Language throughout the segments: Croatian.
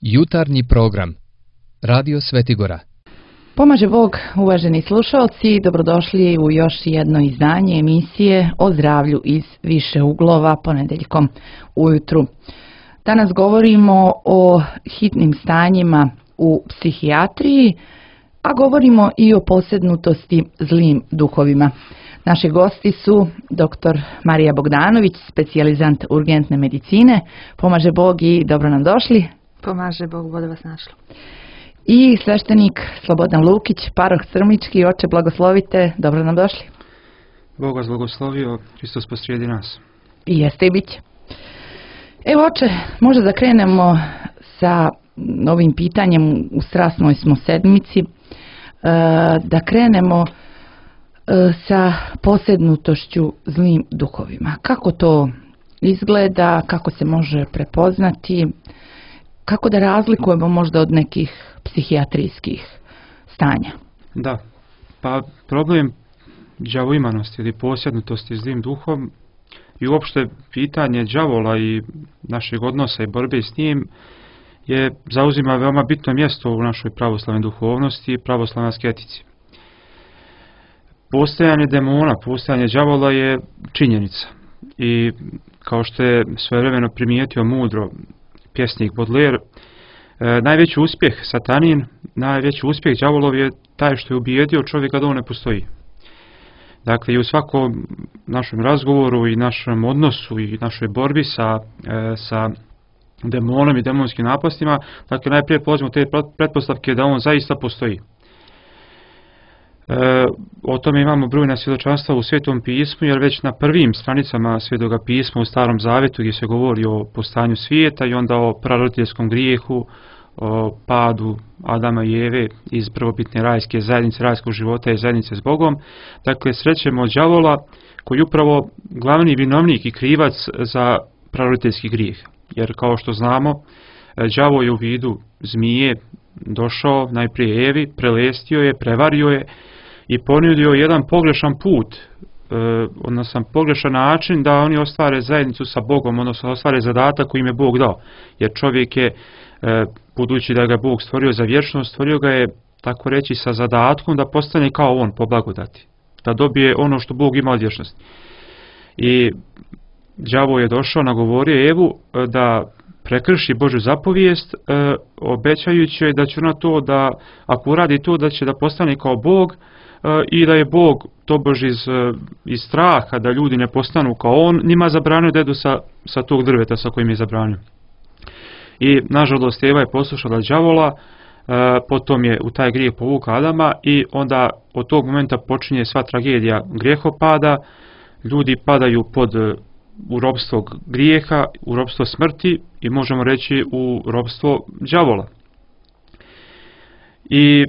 Jutarnji program Radio Svetigora. Pomaže Bog, uvaženi slušalci, dobrodošli u još jedno izdanje emisije o zdravlju iz više uglova ponedeljkom ujutru. Danas govorimo o hitnim stanjima u psihijatriji, a govorimo i o posjednutosti zlim duhovima. Naši gosti su dr. Marija Bogdanović, specijalizant urgentne medicine. Pomaže Bog i dobro nam došli. Pomaže Bog, bude vas našlo. I sveštenik Slobodan Lukić, paroh Crmički. Oče, blagoslovite, dobro nam došli. Bog vas blagoslovio, Hristos posrijedi nas. I jeste i bit će. Evo, oče, možda da krenemo sa ovim pitanjem, u strasnoj smo sedmici, da krenemo sa posjednutošću zlim duhovima. Kako to izgleda, kako se može prepoznati, kako da razlikujemo možda od nekih psihijatrijskih stanja? Da, pa problem đavoimanosti ili posjednutosti zlim duhom i uopšte pitanje đavola i našeg odnosa i borbe s njim zauzima veoma bitno mjesto u našoj pravoslavnoj duhovnosti i pravoslavnoj asketici. Postojanje demona, postojanje đavola je činjenica i kao što je svojevremeno primijetio mudro pjesnik Baudelaire, najveći uspjeh satanin, najveći uspjeh đavolov je taj što je ubijedio čovjeka da on ne postoji. Dakle, i u svakom našem razgovoru i našem odnosu i našoj borbi sa demonom i demonskim napastima, dakle, najprije polazimo te pretpostavke da on zaista postoji. O tome imamo brojna svjedočanstva u Svetom pismu, jer već na prvim stranicama Svetoga pisma u Starom Zavetu gdje se govori o postojanju svijeta i onda o praroditeljskom grijehu, o padu Adama i Eve iz prvobitne rajske zajednice, rajskog života i zajednice s Bogom. Dakle, srećemo đavola koji je upravo glavni vinovnik i krivac za praroditeljski grijeh. Jer kao što znamo, đavo je u vidu zmije došao najprije Evi, prelestio je, prevario je i ponudio jedan pogrešan put, odnosno pogrešan način da oni ostvare zajednicu sa Bogom, odnosno ostvare zadatak koji im je Bog dao. Jer čovjek je, budući da ga Bog stvorio za vječnost, stvorio ga je, tako reći, sa zadatkom da postane kao on po blagodati, da dobije ono što Bog ima od vječnosti. I đavo je došao, nagovorio Evu da prekrši Božju zapovijest, obećajući joj da će ona to, da ako uradi to, da će da postane kao Bog i da je Bog tobož iz straha da ljudi ne postanu kao on, njima zabranio da jedu sa tog drveta sa kojim je zabranio. I nažalost Eva je poslušala đavola, potom je u taj grijeh povukla Adama i onda od tog momenta počinje sva tragedija grijehopada, ljudi padaju u ropstvo grijeha, u ropstvo smrti i možemo reći u ropstvo đavola. I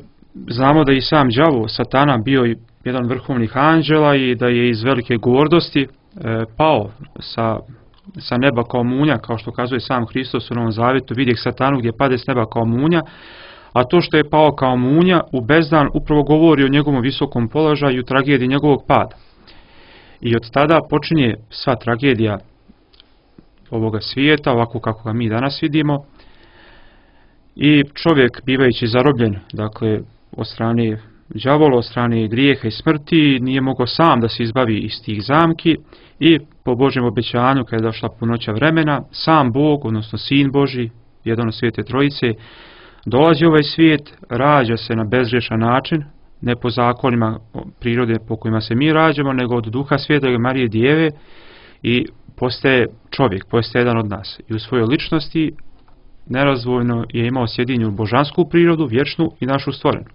znamo da i sam đavo, satana, bio i jedan vrhovnih anđela i da je iz velike gordosti pao sa neba kao munja, kao što kazuje sam Hristos u Novom Zavjetu, vidjeh satanu gdje pade s neba kao munja, a to što je pao kao munja u bezdan upravo govori o njegovom visokom položaju i tragediji njegovog pada. I od tada počinje sva tragedija ovoga svijeta, ovako kako ga mi danas vidimo. I čovjek, bivajući zarobljen, dakle, od strane đavola, od strane grijeha i smrti, nije mogao sam da se izbavi iz tih zamki i po Božjem obećanju, kada je došla punoća vremena, sam Bog, odnosno Sin Božji, jedan od Svete Trojice, dolazi u ovaj svijet, rađa se na bezgrešan način, ne po zakonima prirode po kojima se mi rađamo, nego od Duha Svetoga Marije Djeve i postaje čovjek, postaje jedan od nas. I u svojoj ličnosti nerazdvojno je imao sjedinju božansku prirodu, vječnu i našu stvorenu.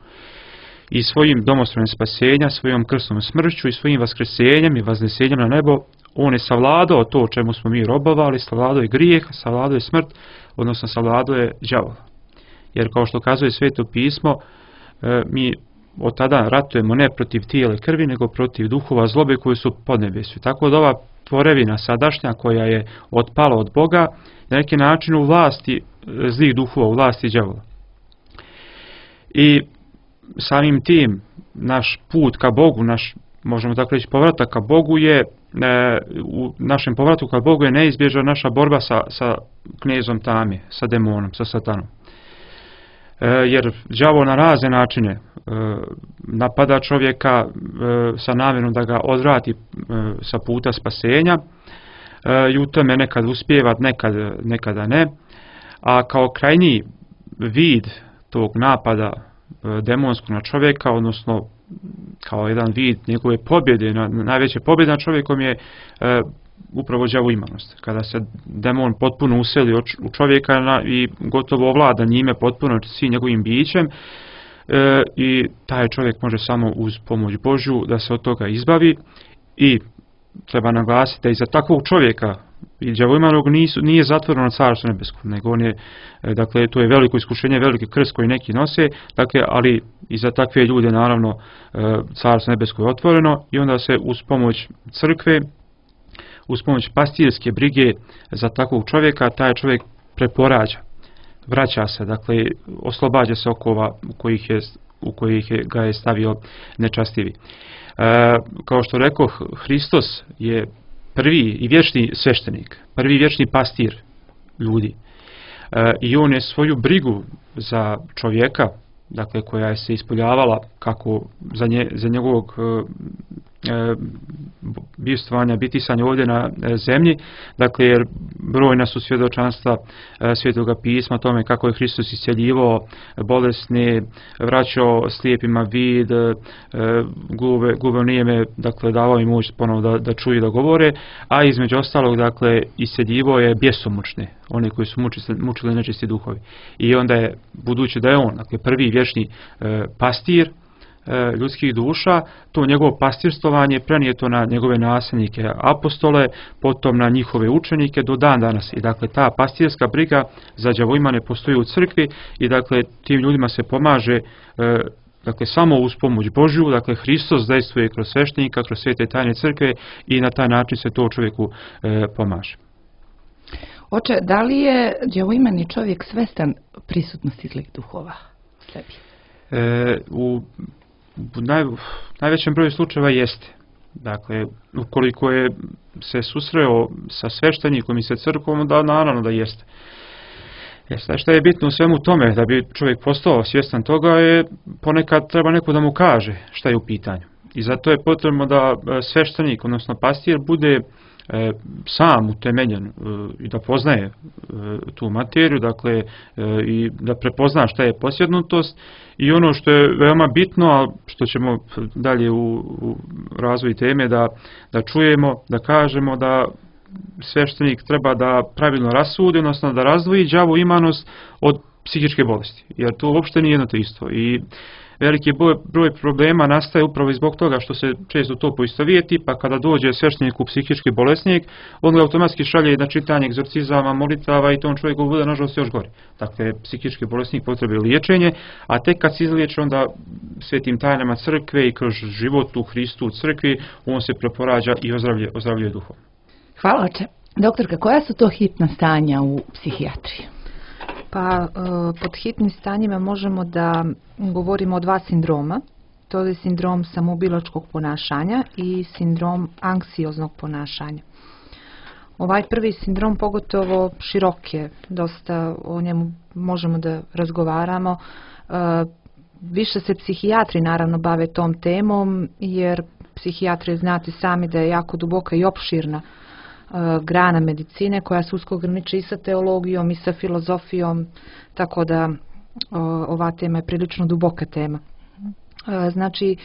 I svojim domostrom spasenja, svojom krsnom smrću i svojim vaskrsenjem i vaznesenjem na nebo, on je savladao to o čemu smo mi robovali, savladao je grijeh, savladao je smrt, odnosno savladao je đavola. Jer kao što kazuje Sveto pismo, mi od tada ratujemo ne protiv tijela i krvi, nego protiv duhova zlobe koji su pod nebesju. Tako da ova tvorevina sadašnja koja je otpala od Boga, na neki način u vlasti zlih duhova, u vlasti đavola. I samim tim naš put ka Bogu, možemo tako reći povratak ka Bogu je, u našem povratu ka Bogu je neizbježna naša borba sa knezom tame, sa demonom, sa satanom. jer đavo na razne načine napada čovjeka sa namjerom da ga odvrati sa puta spasenja i u tome nekad uspijeva, nekada ne. A kao krajnji vid tog napada demonskog na čovjeka, odnosno kao jedan vid njegove pobjede, najveća pobjeda nad čovjekom je upravo đavoimanost. Kada se demon potpuno useli u čovjeka i gotovo ovlada njime potpuno svim njegovim bićem, i taj čovjek može samo uz pomoć Božju da se od toga izbavi. I treba naglasiti da iza takvog čovjeka i đavoimanog nije zatvoreno carstvo nebesko, nego on je, dakle, to je veliko iskušenje, veliki krst koji neki nose, dakle, ali i za takve ljude naravno carstvo nebesko je otvoreno i onda se uz pomoć crkve, uz pomoć pastirske brige za takvog čovjeka, taj čovjek preporađa, vraća se, dakle, oslobađa se okova u kojih ga je stavio nečastivi. Kao što rekoh, Hristos je prvi i vječni sveštenik, prvi vječni pastir ljudi. I on je svoju brigu za čovjeka, dakle, koja je se ispoljavala kako za njegovog bivstvovanja, bitisanja ovdje na zemlji, dakle, jer brojna su svjedočanstva Svetoga pisma tome kako je Hristos isceljivao bolesne, vraćao slijepima vid, gluve nijeme, dakle, davao im moć ponovo da čuju i da govore, a između ostalog, dakle, isceljivao je bjesomučne, one koji su mučili nečisti duhovi. I onda je, budući da je on, dakle, prvi vječni pastir ljudskih duša, to njegovo pastirstovanje prenijeto na njegove nasljednike apostole, potom na njihove učenike do dan danas. I dakle, ta pastirska briga za đavoimane postoji u crkvi i dakle, tim ljudima se pomaže dakle, samo uz pomoć Božju, dakle, Hristos dejstvuje kroz sveštenika, kroz svete tajne crkve i na taj način se to čovjeku pomaže. Oče, da li je đavoimani čovjek svestan prisutnosti zlih duhova u sebi? U najvećem broju slučajeva jeste. Dakle, ukoliko je se susreo sa sveštenikom i sa crkvom, da naravno da jeste. Što je bitno u svemu tome, da bi čovjek postao svjestan toga, je ponekad treba neko da mu kaže šta je u pitanju. I zato je potrebno da sveštenik, odnosno pastir, bude sam utemeljen i da poznaje tu materiju, dakle, i da prepozna šta je posjednutost i ono što je veoma bitno, a što ćemo dalje u razvoju teme da čujemo, da kažemo da sveštenik treba da pravilno rasudi, odnosno da razdvoji đavoimanost od psihičke bolesti, jer to uopšte nije jedno to isto. I veliki broj problema nastaje upravo zbog toga što se često to poistovijeti, pa kada dođe sveštenik u psihički bolesnik, on ga automatski šalje na čitanje egzorcizama, molitava i to on čovjeku bude nažalost još gori. Dakle, psihički bolesnik potrebuje liječenje, a tek kad se izliječi onda svetim tajnama crkve i kroz život u Hristu u crkvi, on se preporađa i ozdravljuje duhom. Hvala, oče. Doktorka, koja su to hitna stanja u psihijatriji? Pa pod hitnim stanjima možemo da govorimo o dva sindroma. To je sindrom samoubilačkog ponašanja i sindrom anksioznog ponašanja. Ovaj prvi sindrom pogotovo širok je, dosta o njemu možemo da razgovaramo. Više se psihijatri naravno bave tom temom, jer psihijatri znate sami da je jako duboka i opširna grana medicine koja se usko graniči i sa teologijom i sa filozofijom, tako da ova tema je prilično duboka tema. Znači,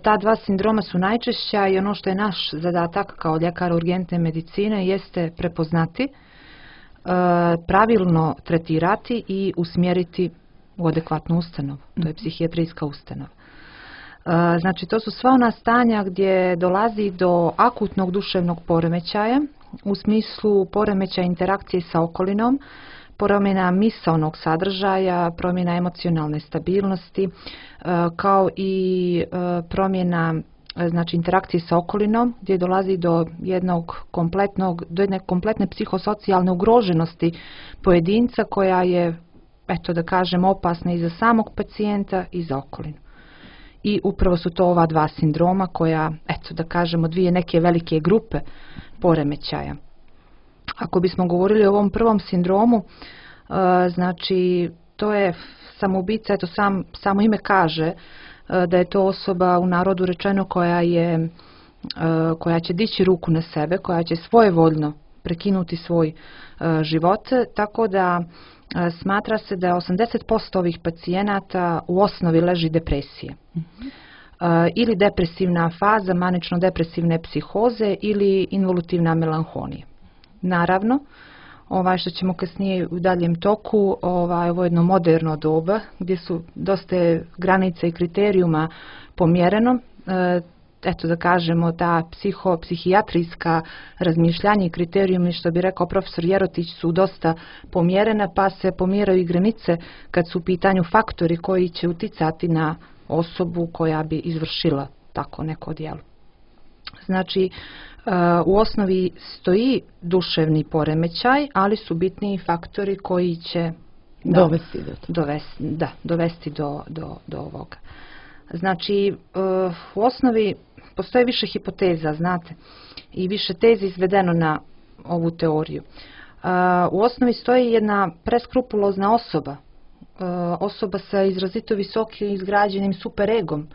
ta dva sindroma su najčešća i ono što je naš zadatak kao ljekara urgentne medicine jeste prepoznati, pravilno tretirati i usmjeriti u adekvatnu ustanovu. To je psihijatrijska ustanova. Znači, to su sva ona stanja gdje dolazi do akutnog duševnog poremećaja u smislu poremećaja interakcije sa okolinom, promjena misaonog sadržaja, promjena emocionalne stabilnosti, kao i promjena, znači, interakcije sa okolinom gdje dolazi do jedne kompletne psihosocijalne ugroženosti pojedinca koja je, eto da kažem, opasna i za samog pacijenta i za okolinu. I upravo su to ova dva sindroma koja, eto da kažemo, dvije neke velike grupe poremećaja. Ako bismo govorili o ovom prvom sindromu, znači to je samoubica, eto samo ime kaže da je to osoba u narodu rečeno koja će dići ruku na sebe, koja će svojevoljno prekinuti svoj život, tako da smatra se da 80% ovih pacijenata u osnovi leži depresije. Ili depresivna faza manično-depresivne psihoze ili involutivna melanholija. Naravno, što ćemo kasnije u daljem toku, ovo je jedno moderno doba gdje su dosta granica i kriterijuma pomjereno. Eto da kažemo, ta psihijatrijska razmišljanja i kriterijumi, što bi rekao profesor Jerotić, su dosta pomjerena, pa se pomjeraju i granice kad su u pitanju faktori koji će uticati na osobu koja bi izvršila tako neko djelo. Znači, u osnovi stoji duševni poremećaj, ali su bitni faktori koji će dovesti do ovoga. Znači, u osnovi postoje više hipoteza, znate, i više tezi izvedeno na ovu teoriju. U osnovi stoji jedna preskrupulozna osoba sa izrazito visokim izgrađenim superegom.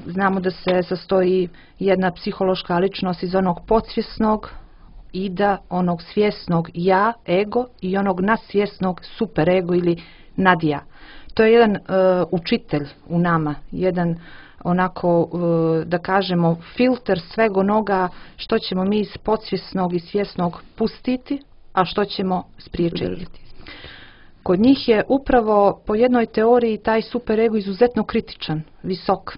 Znamo da se sastoji jedna psihološka ličnost iz onog podsvjesnog ida, onog svjesnog ja, ego, i onog nadsvjesnog superego ili nadja. To je jedan učitelj u nama, jedan onako, da kažemo, filter svega onoga što ćemo mi iz podsvjesnog i svjesnog pustiti, a što ćemo spriječiti. Kod njih je upravo po jednoj teoriji taj superego izuzetno kritičan, visok.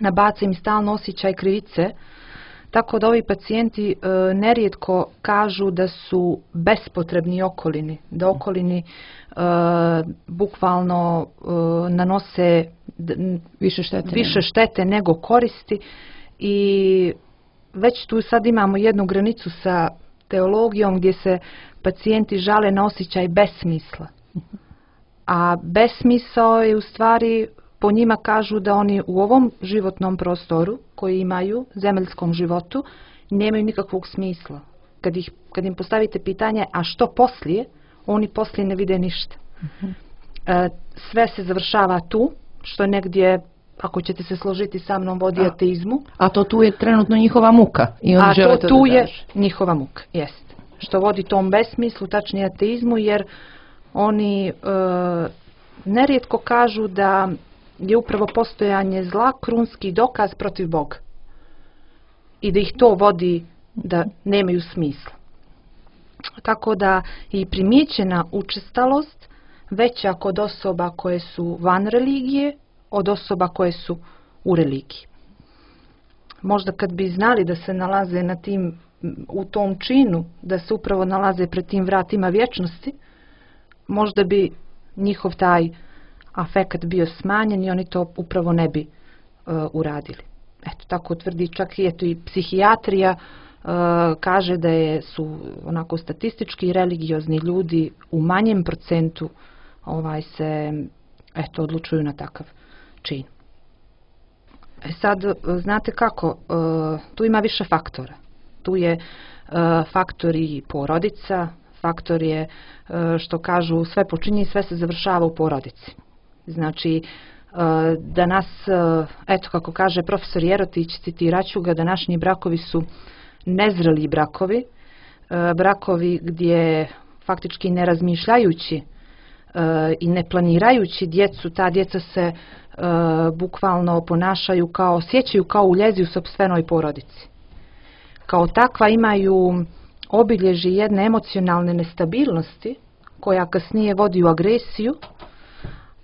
Nabaca im stalno osjećaj krivice, tako da ovi pacijenti nerijetko kažu da su bespotrebni okolini, da okolini bukvalno nanose više štete nego koristi, i već tu sad imamo jednu granicu sa teologijom gdje se pacijenti žale na osjećaj besmisla. A besmisao je u stvari, po njima kažu da oni u ovom životnom prostoru koji imaju, zemaljskom životu, nemaju nikakvog smisla. Kad im postavite pitanje, a što poslije, oni poslije ne vide ništa. Sve se završava tu, što negdje, ako ćete se složiti sa mnom, vodi ateizmu. A to tu je trenutno njihova muka. I on a to tu je njihova muka, jest. Što vodi tom besmislu, tačnije ateizmu, jer oni nerijetko kažu da je upravo postojanje zla krunski dokaz protiv Boga. I da ih to vodi da nemaju smisla. Tako da i primijećena učestalost veća kod osoba koje su van religije od osoba koje su u religiji. Možda kad bi znali da se nalaze u tom činu, da se upravo nalaze pred tim vratima vječnosti, možda bi njihov taj afekat bio smanjen i oni to upravo ne bi uradili. Eto, tako tvrdi čak i psihijatrija, kaže da su onako statistički i religiozni ljudi u manjem procentu se odlučuju na takav čin. Sad, znate kako, tu ima više faktora. Tu je faktor i porodica, faktor je, što kažu, sve počinje i sve se završava u porodici. Znači, da nas, eto kako kaže profesor Jerotić, citiraću ga, današnji brakovi su nezreli brakovi, brakovi gdje faktički ne razmišljajući i ne planirajući djecu, ta djeca se bukvalno ponašaju osjećaju kao uljezi u sopstvenoj porodici. Kao takva imaju obilježje jedne emocionalne nestabilnosti koja kasnije vodi u agresiju,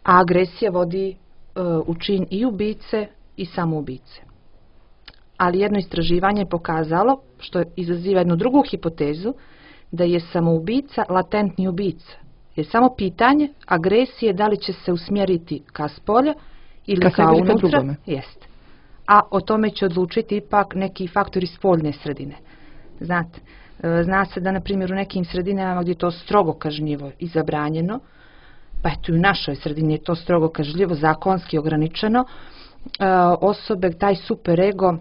a agresija vodi u čin i ubice i samoubice. Ali jedno istraživanje je pokazalo, što izaziva jednu drugu hipotezu, da je samoubica latentni ubica. Je samo pitanje agresije da li će se usmjeriti ka spolja ili ka unutra. Jest. A o tome će odlučiti ipak neki faktori spoljne sredine. Znate, zna se da na primjer u nekim sredinama gdje je to strogo kažnjivo i zabranjeno, pa eto i u našoj sredini je to strogo kažnjivo, zakonski ograničeno, osobe, taj superego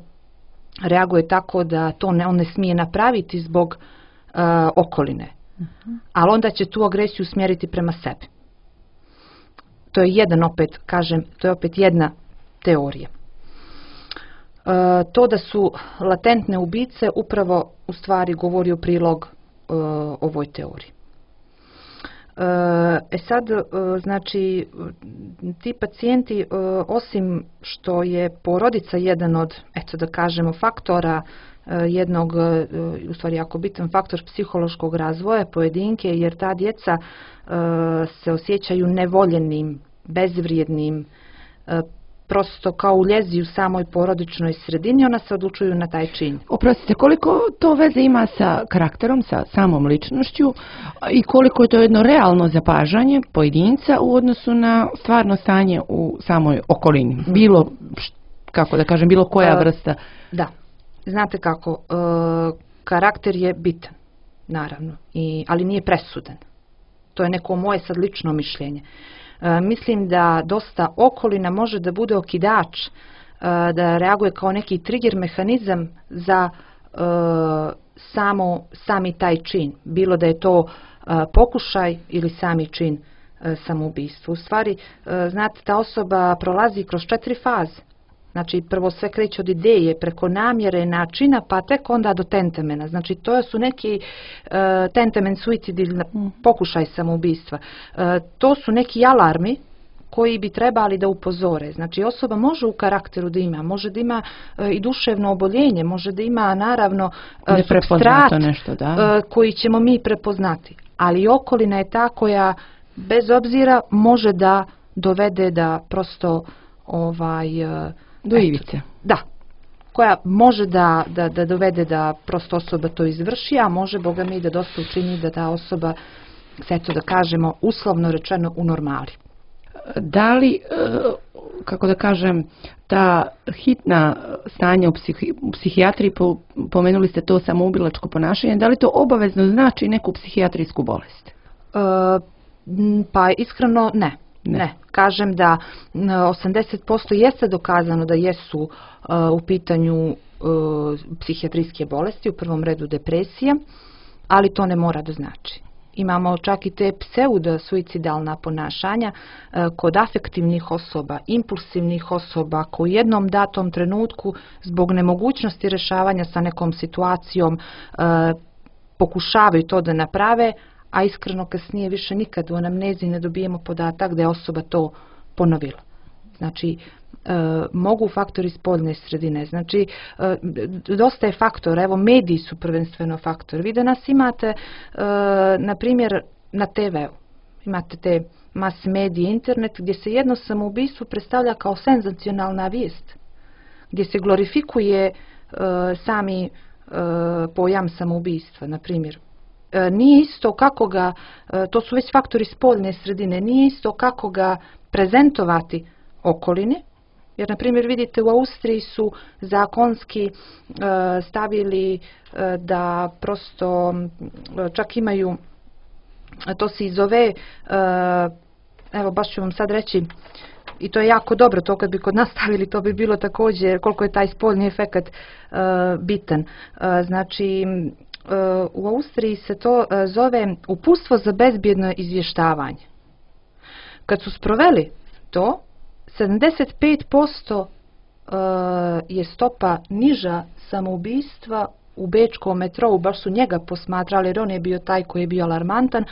reaguje tako da to on ne smije napraviti zbog okoline. Ali onda će tu agresiju usmjeriti prema sebi. To je to je opet jedna teorija. To da su latentne ubice upravo u stvari govori u prilog ovoj teoriji. Sad, znači, ti pacijenti, osim što je porodica jedan od, eto da kažemo, faktora jednog, u stvari jako bitan faktor psihološkog razvoja pojedinke, jer ta djeca se osjećaju nevoljenim, bezvrijednim, prosto kao u ljezi u samoj porodičnoj sredini, ona se odlučuju na taj čin. Oprostite, koliko to veze ima sa karakterom, sa samom ličnošću i koliko je to jedno realno zapažanje pojedinca u odnosu na stvarno stanje u samoj okolini? Bilo, kako da kažem, bilo koja vrsta? Da, znate kako, karakter je bitan, naravno, ali nije presudan. To je neko moje sad lično mišljenje. Mislim da dosta okolina može da bude okidač, da reaguje kao neki trigger mehanizam za sami taj čin. Bilo da je to pokušaj ili sami čin samoubistva. U stvari, znate, ta osoba prolazi kroz 4 faze. Znači, prvo sve kreće od ideje, preko namjere, načina, pa tek onda do tentamena. Znači, to su neki tentamen, suicid ili pokušaj samoubistva. To su neki alarmi koji bi trebali da upozore. Znači, osoba može u karakteru da ima, može da ima i duševno oboljenje, može da ima, naravno, supstrat koji ćemo mi prepoznati. Ali okolina je ta koja, bez obzira, može da dovede da prosto do ivice. Da, koja može da dovede da prosto osoba to izvrši, a može, Boga mi, da dosta učini da ta osoba, eto da kažemo, uslovno rečeno u normali. Da li, kako da kažem, ta hitna stanja u psihijatriji, pomenuli ste to samoubilačko ponašanje, da li to obavezno znači neku psihijatrijsku bolest? Pa iskreno ne. Kažem da 80% jeste dokazano da jesu u pitanju psihijatrijske bolesti, u prvom redu depresija, ali to ne mora da znači. Imamo čak i te pseudo-suicidalna ponašanja kod afektivnih osoba, impulsivnih osoba koji u jednom datom trenutku zbog nemogućnosti rješavanja sa nekom situacijom pokušavaju to da naprave, a iskreno kasnije više nikad u anamnezi ne dobijemo podatak da je osoba to ponovila. Znači, mogu faktori spoljne sredine. Znači, dosta je faktora, evo mediji su prvenstveno faktor. Vi danas imate, na primjer, na TV-u, imate te mas medije, internet, gdje se jedno samoubistvo predstavlja kao senzacionalna vijest, gdje se glorifikuje sami pojam samoubistva, na primjer. Nije isto kako ga, to su već faktori spoljne sredine, nije isto kako ga prezentovati okoline, jer na primjer vidite u Austriji su zakonski stavili da prosto čak imaju, to se i zove, evo baš ću vam sad reći, i to je jako dobro, to kad bi kod nas stavili, to bi bilo također koliko je taj spoljni efekat bitan. Znači, u Austriji se to zove uputstvo za bezbjedno izvještavanje. Kad su sproveli to, 75% je stopa niža samoubistva u bečkom metrou, baš su njega posmatrali jer on je bio taj koji je bio alarmantan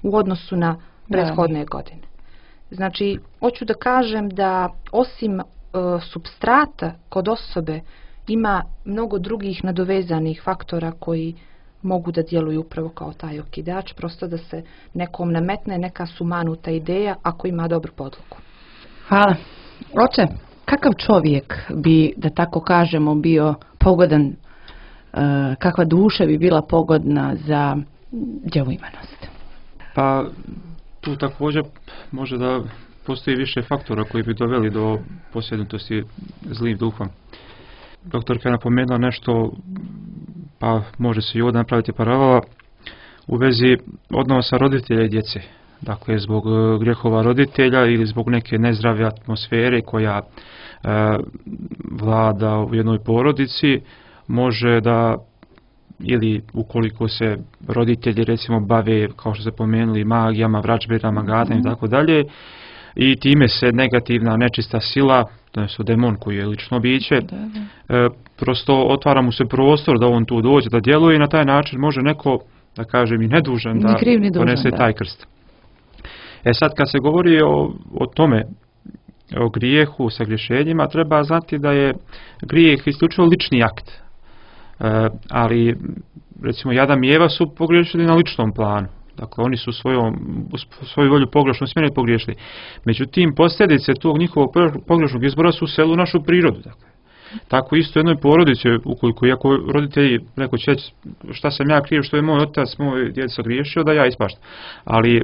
u odnosu na prethodne godine. Znači, hoću da kažem da osim supstrata kod osobe ima mnogo drugih nadovezanih faktora koji mogu da djeluju upravo kao taj okidač, prosto da se nekom nametne neka sumanuta ideja ako ima dobru podlogu. Hvala. Oče, kakav čovjek bi, da tako kažemo, bio pogodan, kakva duša bi bila pogodna za djevoimenost? Pa tu također može da postoji više faktora koji bi doveli do posjednutosti zlim duhom. Doktorka je napomenula nešto, pa može se i ovdje napraviti paralela u vezi odnosa roditelja i djece. Dakle, zbog grijehova roditelja ili zbog neke nezdrave atmosfere koja vlada u jednoj porodici, može da, ili ukoliko se roditelji recimo bave, kao što se pomenuli, magijama, vračbinama, gadanjem i tako dalje, i time se negativna nečista sila, to demon koji je lično biće, prosto otvara mu se prostor da on tu dođe, da djeluje i na taj način može neko, da kažem, i nedužan da ponese taj krst. Sad kad se govori o tome, o grijehu, sa griješenjima, treba znati da je grijeh isključivo lični akt. Ali, recimo, Adam i Eva su pogriješili na ličnom planu. Dakle, oni su svoju volju pogrešno usmjerili pogriješili. Međutim, posljedice tog njihovog pogrešnog izbora su useli u našu prirodu. Dakle. Tako isto jednoj porodici, ukoliko iako roditelji neko će reći šta sam ja kriv, što je moj otac, moj djed sagriješio, da ja ispaštam. Ali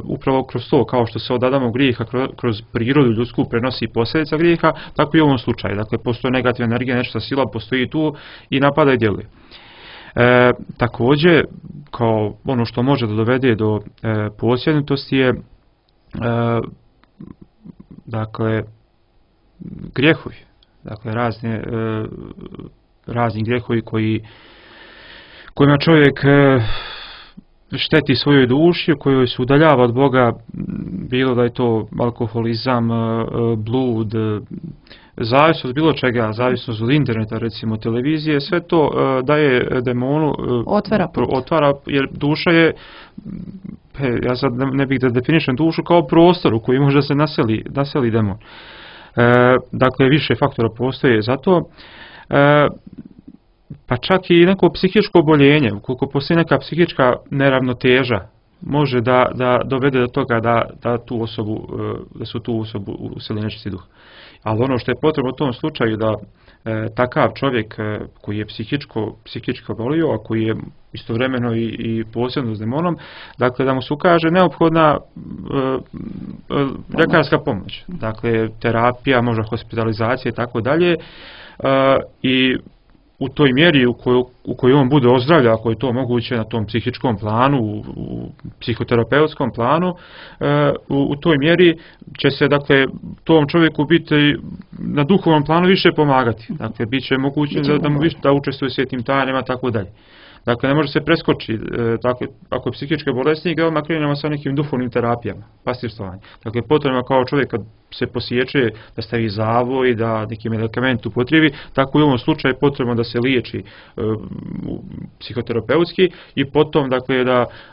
upravo kroz to, kao što se od Adamovog grijeha kroz prirodu ljudsku prenosi posljedica grijeha, tako i u ovom slučaju. Dakle, postoji negativna energija, nečista sila postoji tu i napada i djeluje. Također, kao ono što može da dovede do posjednutosti je dakle, grijehovi. Dakle, razni grijehovi kojima čovjek šteti svojoj duši, kojoj se udaljava od Boga, bilo da je to alkoholizam, blud, zavisnost bilo čega, zavisnost od interneta, recimo televizije, sve to daje demonu, otvara, jer duša je, ja sad ne bih da definišem dušu kao prostor u koji može da se naseli demon. Dakle, više faktora postoje za to, pa čak i neko psihičko oboljenje, ukoliko postoji neka psihička neravnoteža, može da dovede do toga da su tu osobu useli nečisti duh. Ali ono što je potrebno u tom slučaju da takav čovjek koji je psihički obolio, a koji je istovremeno i posebno s demonom, dakle da mu se ukaže neophodna ljekarska pomoć. Dakle, terapija, možda hospitalizacija i tako dalje. I u toj mjeri u kojoj on bude ozdravlja, ako je to moguće na tom psihičkom planu, u psihoterapeutskom planu, u toj mjeri će se, dakle, tom čovjeku biti na duhovnom planu više pomagati. Dakle, bit će moguće da mu više da učestvuje u svetim tajnama, tako dalje. Dakle, ne može se preskočiti, dakle, ako je psihički bolesnik, odmah krenemo sa nekim duhovnim terapijama, pastirstovanjem. Dakle, potrebno kao čovjek kad se posjeće da stavi zavoj, da neki medikament upotrijebi, tako i u ovom slučaju potrebno da se liječi psihoterapeutski i potom, dakle,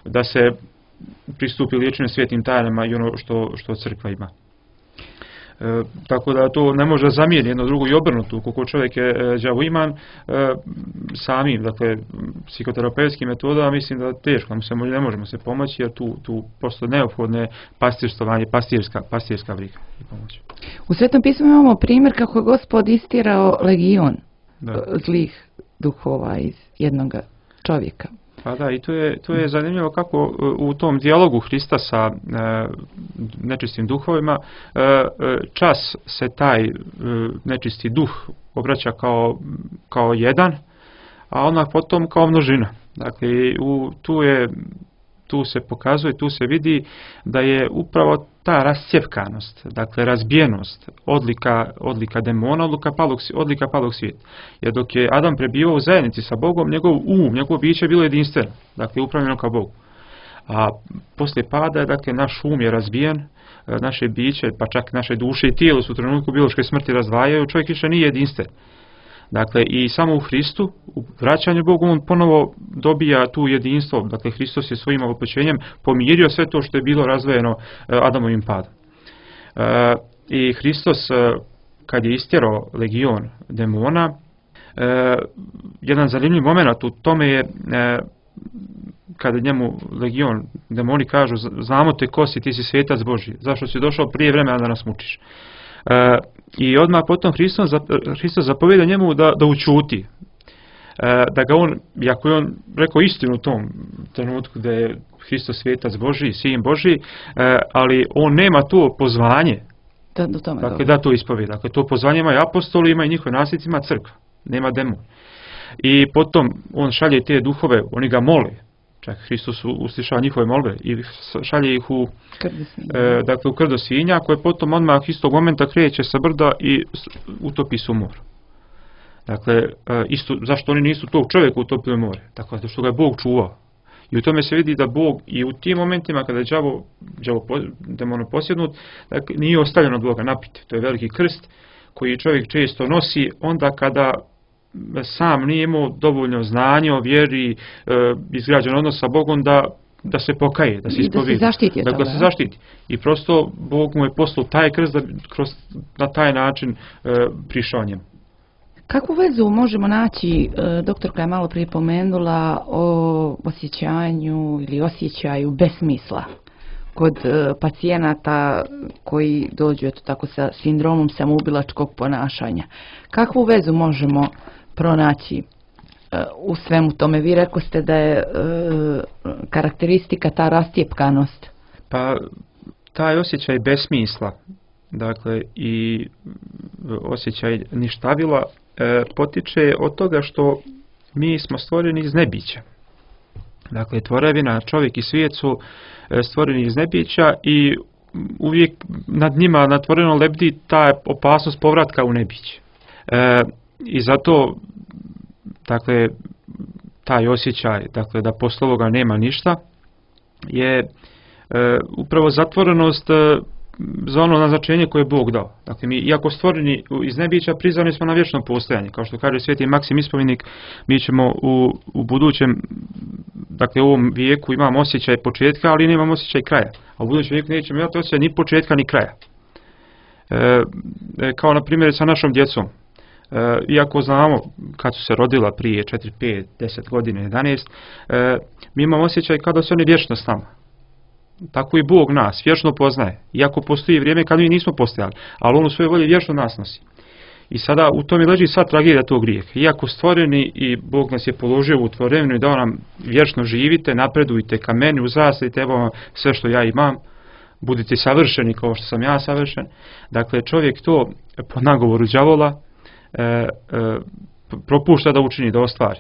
da se pristupi liječenju svetim tajnama i ono što crkva ima. Tako da to ne može zamijeniti jedno drugo i obrnuto. Ukoliko čovjek je đavoiman, samim, dakle, psihoterapeutskim metodama, mislim da teško, ne možemo se pomoći jer tu postoje neophodne pastirstovanje, pastirska briga i pomoć. U Svetom pismu imamo primjer kako je Gospod istirao legion zlih duhova iz jednog čovjeka. Pa da, i to je zanimljivo kako u tom dijalogu Hrista sa nečistim duhovima čas se taj nečisti duh obraća kao jedan, a odmah potom kao množina. Dakle, tu se pokazuje, tu se vidi da je upravo ta rascjepkanost, dakle razbijenost, odlika demona, odlika palog svijeta. Jer dok je Adam prebivao u zajednici sa Bogom, njegovo biće je bilo jedinstveno, dakle upravljeno kao Bogu. A poslije pada, dakle, naš je razbijen, naše biće, pa čak naše duše i tijelo su u trenutku biološke smrti razdvajaju, čovjek više nije jedinstven. Dakle, i samo u Hristu, u vraćanju Bogu, on ponovo dobija tu jedinstvo. Dakle, Hristos je svojim opećenjem pomirio sve to što je bilo razdvojeno Adamovim padom. I Hristos, kad je istjerao legion demona, jedan zanimljiv moment u tome je kada njemu legion demoni kažu: znamo te ko si, ti si svetac Božji, zašto si došao prije vremena da nas mučiš? I odmah potom Hristos zapovjeda njemu da učuti. Da ga on, iako je on rekao istinu u tom trenutku da je Hristos svetac Božji, sin Božji, ali on nema to pozvanje da to ispovjeda. Dakle, to pozvanje imaju apostoli, ima i njihovi nasljednici, ima crkva, nema demon. I potom on šalje te duhove, oni ga mole. Čak Hristos uslišava njihove molbe i šalje ih u krdo svinja, koje potom odmah istog momenta kreće sa brda i utopi se u moru. Dakle, zašto oni nisu tog čovjeka utopili u more? Dakle, što ga je Bog čuvao. I u tome se vidi da Bog i u tim momentima kada je đavo demonoposjednut, dakle, nije ostavljen od Boga, naprotiv. To je veliki krst koji čovjek često nosi onda kada sam nije imao dovoljno znanja o vjeri, izgrađen odnos sa Bogom da se pokaje, da se ispovijedi. Da se zaštiti. I prosto Bog mu je poslao taj krst da na taj način prišao njemu. Kakvu vezu možemo naći, doktorka je malo prije pomenula, o osjećanju ili osjećaju besmisla kod pacijenata koji dođu tako sa sindromom samoubilačkog ponašanja? Kakvu vezu možemo pronaći u svemu tome? Vi rekoste da je karakteristika ta rastjepkanost. Pa taj osjećaj besmisla, dakle i osjećaj ništavila potiče od toga što mi smo stvoreni iz nebića. Dakle, tvorevina, čovjek i svijet su stvoreni iz nebića i uvijek nad njima natvoreno lebdi ta opasnost povratka u nebiće. I zato, dakle, taj osjećaj, dakle, da posle ovoga nema ništa, je upravo zatvorenost za ono naznačenje koje je Bog dao. Dakle, mi, iako stvoreni iz nebića, prizvani smo na vječno postojanje. Kao što kaže Sveti Maksim Ispovednik, mi ćemo u budućem, dakle, u ovom vijeku imamo osjećaj početka, ali nemamo osjećaj kraja. A u budućem vijeku nećemo imati osjećaj ni početka, ni kraja. Kao, na primjer, sa našom djecom. Iako znamo kad su se rodila prije 4, 5, 10 godina, 11, mi imamo osjećaj kada su oni vječno s nama. Tako i Bog nas vječno poznaje. Iako postoji vrijeme kad mi nismo postojali, ali On u svojoj volji vječno nas nosi. I sada u tome leži sva tragedija tog grijeha. Iako stvoreni i Bog nas je položio u tvorevinu i dao nam vječno živite, napredujte ka meni, uzrastite, evo vam sve što ja imam, budite savršeni kao što sam ja savršen. Dakle, čovjek to po nagovoru đavola propušta da učini, da ostvari.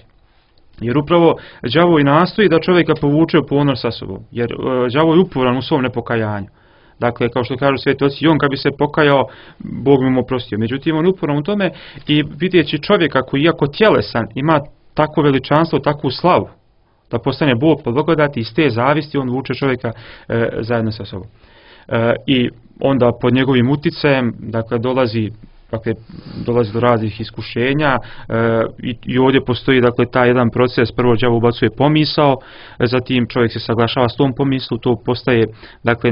Jer upravo đavo i nastoji da čovjeka povuče u ponor sa sobom. Jer đavo je uporan u svom nepokajanju. Dakle, kao što kažu sveti oci, i on kad bi se pokajao, Bog bi mu oprostio. Međutim, on je uporan u tome i vidjeći čovjeka koji, iako tjelesan, ima takvo veličanstvo, takvu slavu, da postane Bog po blagodati, iz te zavisti on vuče čovjeka zajedno sa sobom. I onda pod njegovim uticajem, dakle, dolazi do raznih iskušenja i ovdje postoji, dakle, taj jedan proces. Prvo đavo ubacuje pomisao, zatim čovjek se saglašava s tom pomislu, to postaje, dakle,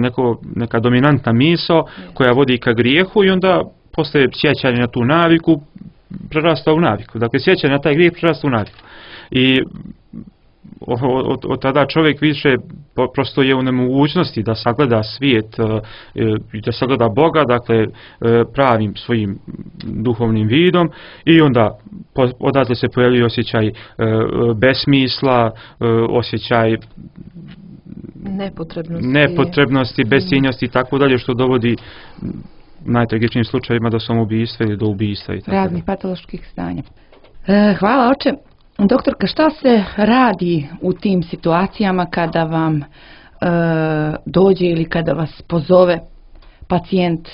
neka dominantna misao koja vodi ka grijehu i onda postaje sjećanje na tu naviku, prerasta u naviku. Dakle, sjećanje na taj grijeh prerasta u naviku. I od tada čovjek više prosto je u nemogućnosti da sagleda svijet i da sagleda Boga, dakle, pravim svojim duhovnim vidom, i onda odatle se pojavljuje osjećaj besmisla, osjećaj nepotrebnosti, bescijenjosti i tako dalje, što dovodi u najtragičnijim slučajevima do samoubistva ili do ubistva i tako raznih patoloških stanja. Hvala, oče. Doktorka, šta se radi u tim situacijama kada vam dođe ili kada vas pozove pacijent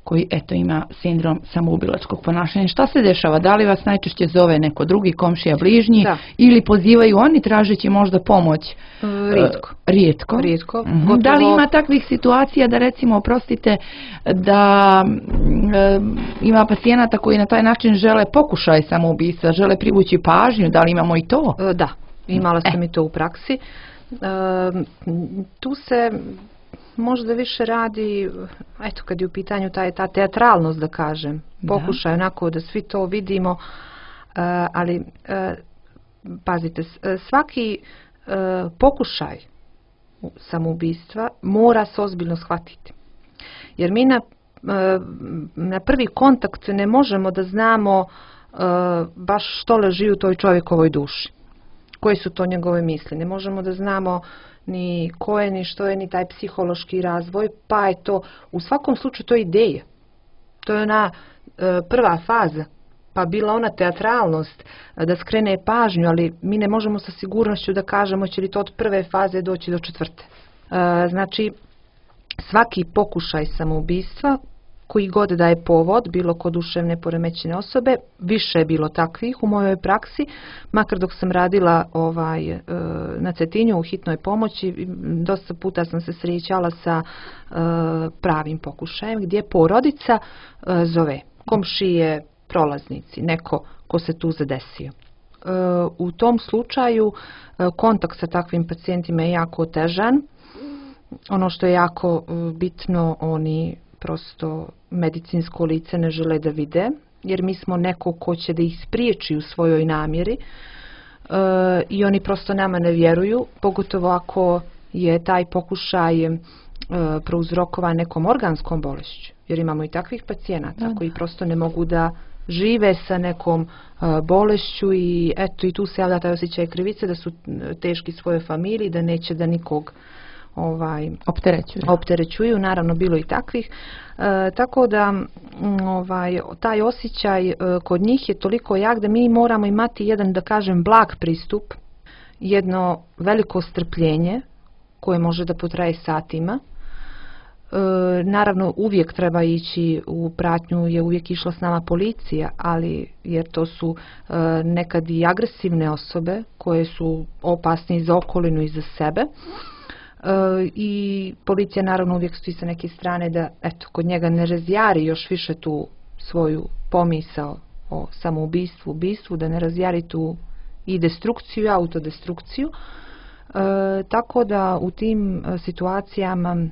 koji ima sindrom samoubilačkog ponašanja? Šta se dešava? Da li vas najčešće zove neko drugi, komšija, bližnji, ili pozivaju oni tražeći možda pomoć? Rijetko. Da li ima takvih situacija da, recimo, oprostite, da ima pacijenata koji na taj način žele pokušaj samoubistva, žele privući pažnju? Da li imamo i to? Da, imala sam i to u praksi. Tu se možda više radi, eto, kad je u pitanju ta teatralnost, da kažem, pokušaj onako da svi to vidimo, ali pazite, svaki pokušaj samoubistva mora se ozbiljno shvatiti. Jer mi na prvi kontakt ne možemo da znamo baš što leži u toj čovjekovoj duši. Koje su to njegove misli. Ne možemo da znamo ni ko je, ni što je, ni taj psihološki razvoj, pa je to, u svakom slučaju, to je ideja. To je ona prva faza, pa bila ona teatralnost, da skrene pažnju, ali mi ne možemo sa sigurnošću da kažemo će li to od prve faze doći do četvrte. Znači, svaki pokušaj samoubistva koji god da je povod, bilo kod duševne poremećene osobe. Više je bilo takvih u mojoj praksi, makar dok sam radila na Cetinju u hitnoj pomoći, dosta puta sam se srećala sa pravim pokušajem gdje porodica zove komšije, prolaznici, neko ko se tu zadesio. U tom slučaju kontakt sa takvim pacijentima je jako otežan. Ono što je jako bitno, oni prosto medicinsko lice ne žele da vide, jer mi smo neko ko će da ih spriječi u svojoj namjeri i oni prosto nama ne vjeruju, pogotovo ako je taj pokušaj prouzrokovan nekom organskom bolešću, jer imamo i takvih pacijenata koji prosto ne mogu da žive sa nekom bolešću i eto i tu se javlja taj osjećaj krivice da su teški svojoj familiji, da neće da nikog opterećuju. Naravno bilo i takvih, tako da taj osjećaj kod njih je toliko jak da mi moramo imati jedan, da kažem, blag pristup, jedno veliko strpljenje koje može da potraje satima. Naravno uvijek treba ići u pratnju, je uvijek išla s nama policija, ali jer to su nekad i agresivne osobe koje su opasne i za okolinu i za sebe. I policija naravno uvijek stoji sa neke strane da eto, kod njega ne razjari još više tu svoju pomisao o samoubistvu, ubistvu, da ne razjari tu i destrukciju i autodestrukciju. Tako da u tim situacijama,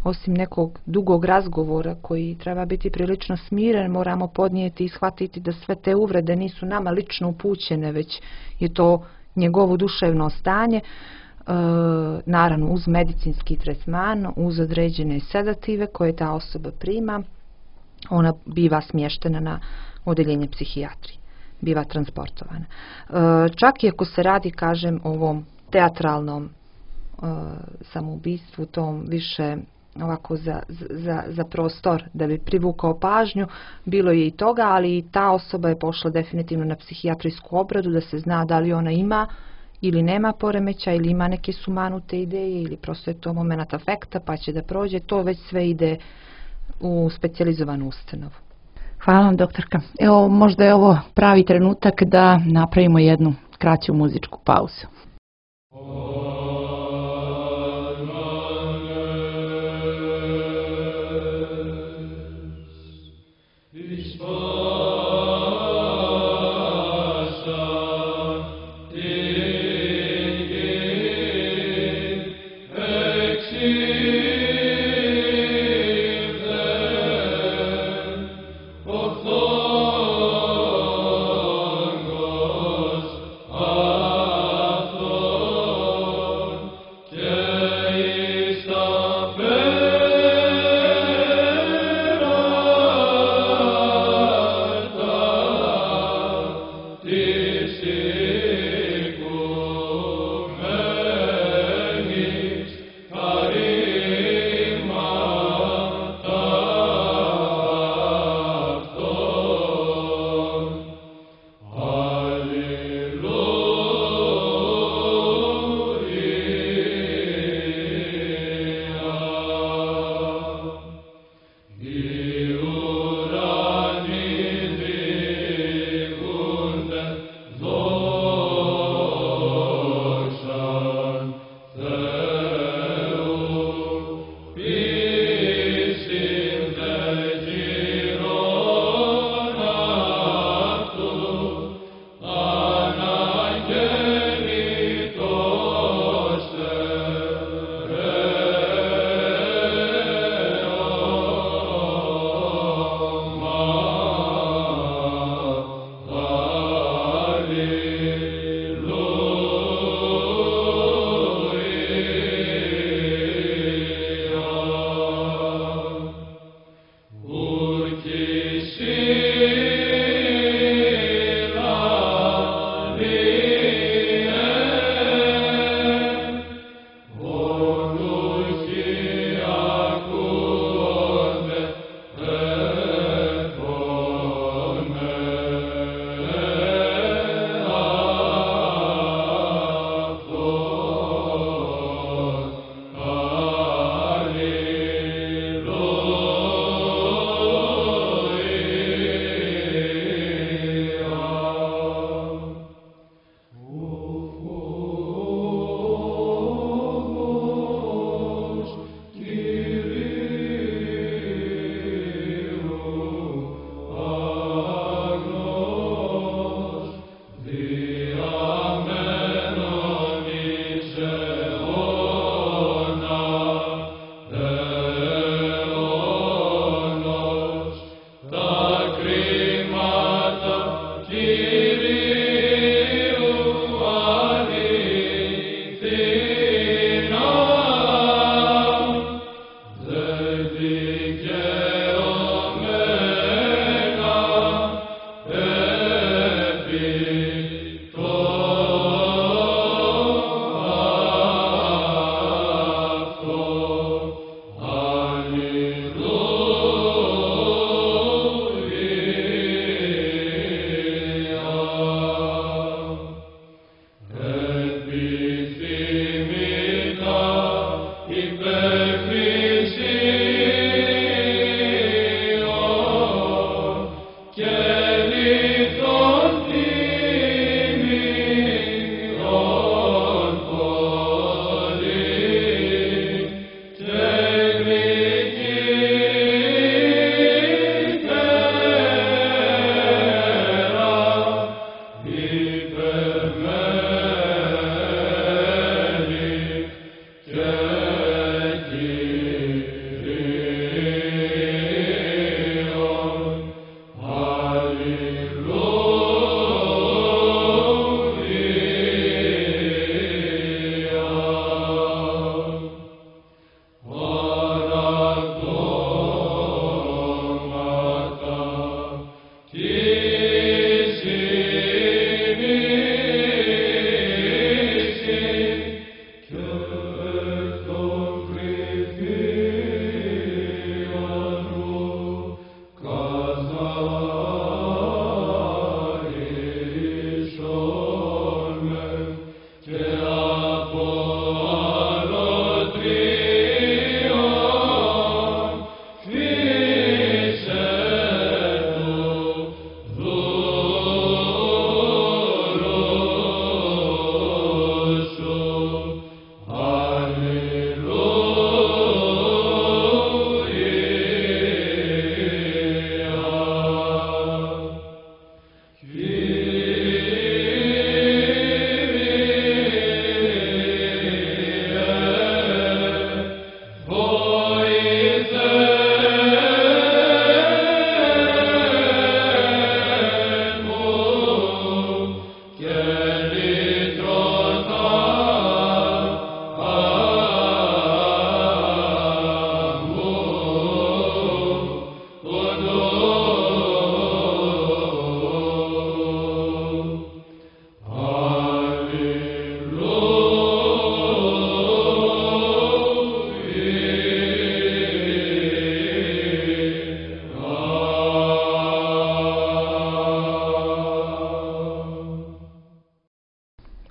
osim nekog dugog razgovora koji treba biti prilično smiren, moramo podnijeti i shvatiti da sve te uvrede nisu nama lično upućene, već je to njegovo duševno stanje. Naravno uz medicinski tretman, uz određene sedative koje ta osoba prima, ona biva smještena na odeljenje psihijatrije, biva transportovana. Čak i ako se radi, kažem, o ovom teatralnom samoubistvu, tom više ovako za prostor da bi privukao pažnju, bilo je i toga, ali i ta osoba je pošla definitivno na psihijatrijsku obradu da se zna da li ona ima ili nema poremeća, ili ima neke sumanute ideje, ili prosto je to moment afekta pa će da prođe. To već sve ide u specijalizovanu ustanovu. Hvala vam, doktorka. Evo, možda je ovo pravi trenutak da napravimo jednu kraću muzičku pauzu. Oh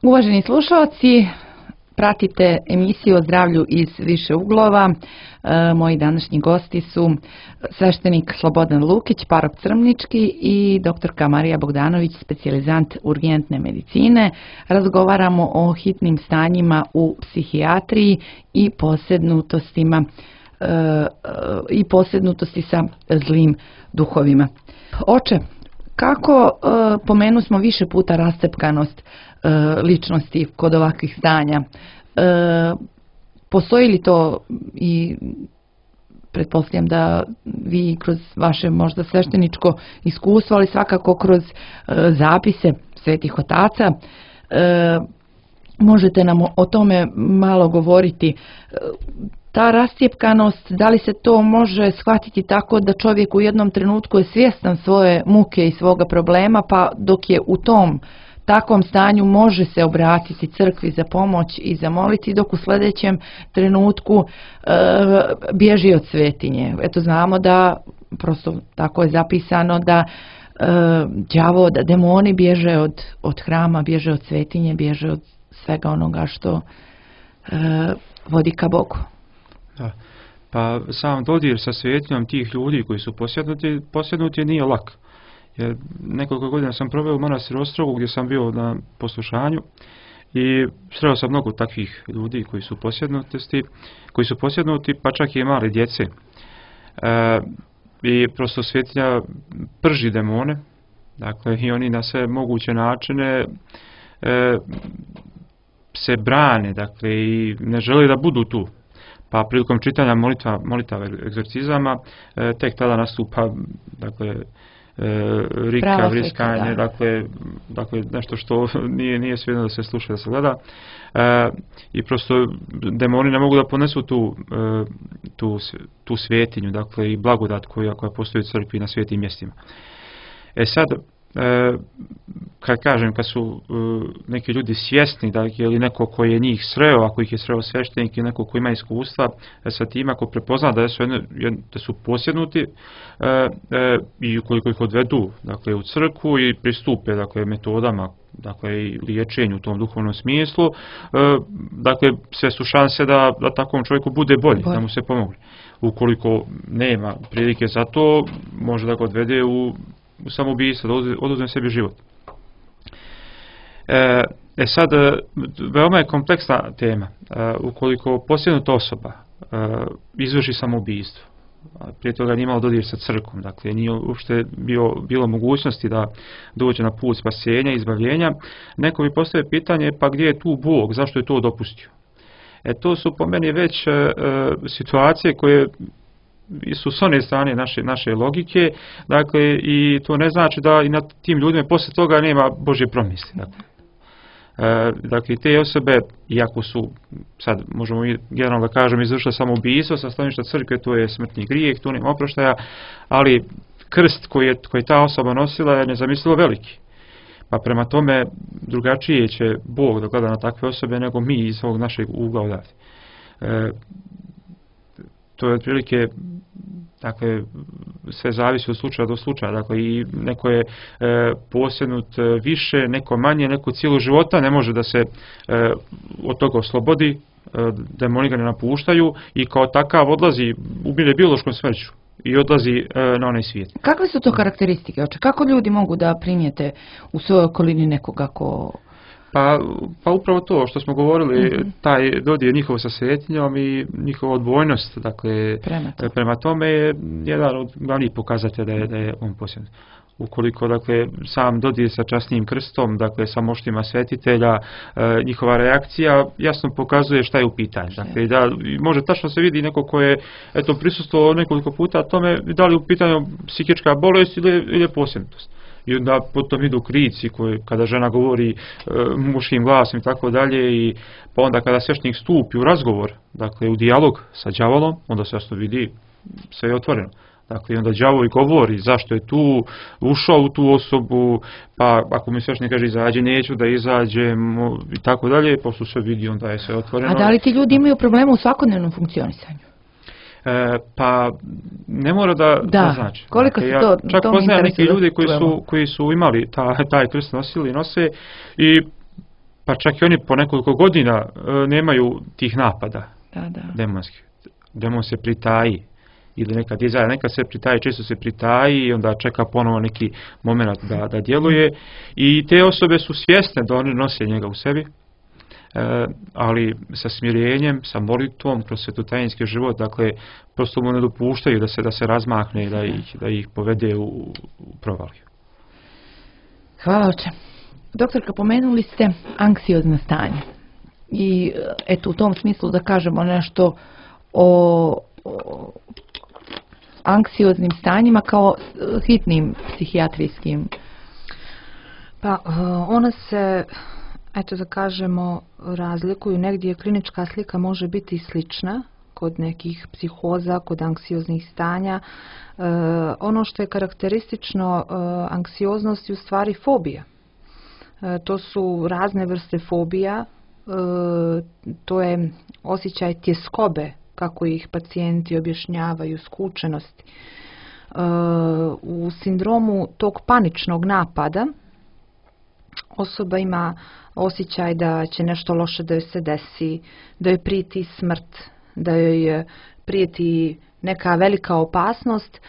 Uvaženi slušalci, pratite emisiju o zdravlju iz više uglova. Moji današnji gosti su sveštenik Slobodan Lukić, parop Crmnički, i doktorka Marija Bogdanović, specijalizant urgentne medicine. Razgovaramo o hitnim stanjima u psihijatriji i posebnutosti sa zlim duhovima. Oče, kako pomenu smo više puta rascepkanost ličnosti kod ovakvih stanja? Postoji li to, i pretpostavljam da vi kroz vaše možda svešteničko iskustvo, ali svakako kroz zapise svetih otaca, možete nam o tome malo govoriti? Ta rascjepkanost, da li se to može shvatiti tako da čovjek u jednom trenutku je svjestan svoje muke i svoga problema, pa dok je u takvom stanju može se obratiti crkvi za pomoć i zamoliti, dok u sljedećem trenutku bježi od svetinje? Eto, znamo da, prosto tako je zapisano, da đavo, da demoni bježe od hrama, bježe od svetinje, bježe od svega onoga što vodi ka Bogu. Da. Pa sam dodir sa svetinjom tih ljudi koji su posjednuti nije lak. Jer nekoliko godina sam proveo u manastiru Ostrogu gdje sam bio na poslušanju i sreo sam mnogo takvih ljudi koji su posjednuti, pa čak i male djece. I prosto svetinja prži demone, dakle, i oni na sve moguće načine se brane, dakle, i ne žele da budu tu. Pa prilikom čitanja molitava egzorcizama tek tada nastupa, dakle, rika, vriskanje, dakle nešto što nije svejedno da se sluša, da se gleda. I prosto demoni ne mogu da ponesu tu svetinju, dakle i blagodat koja postoji u crkvi na svetim mjestima. Sad, kad su neki ljudi svjesni da je neko koji je njih sreo, ako ih je sreo sveštenik ili neko koji ima iskustva sa tim, ako prepozna da su posjednuti i ukoliko ih odvedu, dakle, u crkvu i pristupe, dakle, metodama, dakle, i liječenju u tom duhovnom smislu, dakle, sve su šanse da takvom čovjeku bude bolje, da mu se pomogne. Ukoliko nema prilike za to, može da ga odvede u samoubistvo, da oduzme sebi život. Sad, veoma je kompleksna tema. Ukoliko posjednuta osoba izvrši samoubistvo, prije toga nije imalo dodir sa crkvom, dakle nije uopšte bilo mogućnosti da dođe na put spasenja, izbavljenja, neko bi postavio pitanje, pa gdje je tu Bog, zašto je to dopustio? To su po meni već situacije koje su s one strane naše logike, dakle, i to ne znači da i nad tim ljudima poslije toga nema Božje promisli. Dakle, te osobe, iako su, sad možemo generalno da kažem, izvršile samoubistvo sa stanovišta crkve, to je smrtni grijeh, tu nema oproštaja, ali krst koji ta osoba nosila je nezamislivo veliki. Pa prema tome drugačije će Bog da gleda na takve osobe nego mi iz ovog našeg ugla odavde. To je otprilike, dakle, sve zavisi od slučaja do slučaja, dakle, i neko je posjednut više, neko manje, neko cijelu života ne može da se od toga oslobodi, demoni ga ne napuštaju i kao takav odlazi, umire biološkom smrću i odlazi na onaj svijet. Kakve su to karakteristike? Kako ljudi mogu da primijete u svojoj okolini nekoga ko... Pa upravo to što smo govorili, taj dodir njihov sa svetinjom i njihova odbojnost, dakle, prema tome je jedan od glavnih pokazatelja da je on posjednut. Ukoliko, dakle, sam dodir sa časnim krstom, dakle, sa moštima svetitelja, njihova reakcija jasno pokazuje šta je u pitanju. Dakle, da može tačno se vidi neko ko je prisustvovao nekoliko puta tome, da li je u pitanju psihička bolest ili je posjednutost. I onda potom idu krici kada žena govori muškim glasom i tako dalje, i pa onda kada sveštenik stupi u razgovor, dakle u dijalog sa đavolom, onda se jasno vidi, sve je otvoreno. Dakle, onda đavol govori zašto je tu, ušao u tu osobu, pa ako mi sveštenik kaže izađe, neću da izađem i tako dalje, pošto se vidi, onda je sve otvoreno. A da li ti ljudi imaju problema u svakodnevnom funkcionisanju? Pa ne mora da znači. Koliko se to čak poznajem neki ljudi koji su imali taj krst nosili i nose, i pa čak i oni po nekoliko godina nemaju tih napada demonskih. Demon se pritaji ili nekad se pritaji, često se pritaji i onda čeka ponovo neki moment da djeluje, i te osobe su svjesne da oni nose njega u sebi. Ali sa smirenjem, sa molitvom, kroz svetotajinski život, dakle, prosto mu ne dopuštaju da se razmahne i da ih povede u provaliju. Hvala, oče. Doktorka, pomenuli ste anksiozno stanje. I eto, u tom smislu da kažemo nešto o anksioznim stanjima kao hitnim psihijatrijskim. Pa, ona se, eto da kažemo, razlikuju. Negdje klinička slika može biti slična kod nekih psihoza, kod anksioznih stanja. Ono što je karakteristično anksioznosti u stvari fobija. To su razne vrste fobija. To je osjećaj tjeskobe, kako ih pacijenti objašnjavaju, skučenosti. U sindromu tog paničnog napada osoba ima osjećaj da će nešto loše da joj se desi, da joj prijeti smrt, da joj prijeti neka velika opasnost,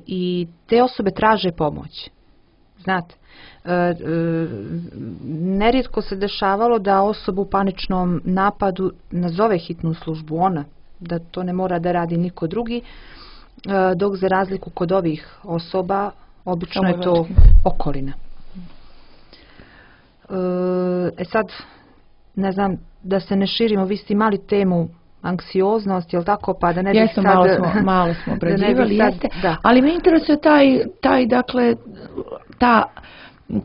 i te osobe traže pomoć. Znate, nerijetko se dešavalo da osoba u paničnom napadu nazove hitnu službu ona, da to ne mora da radi niko drugi, dok za razliku kod ovih osoba obično je to okolina. Sad, ne znam, da se ne širimo, vi ste imali temu anksioznost, jel tako, pa da ne bih Jesmo, sad... malo smo da ne bih obrađivali, sad- jeste. da. Ali me interesuje dakle, ta,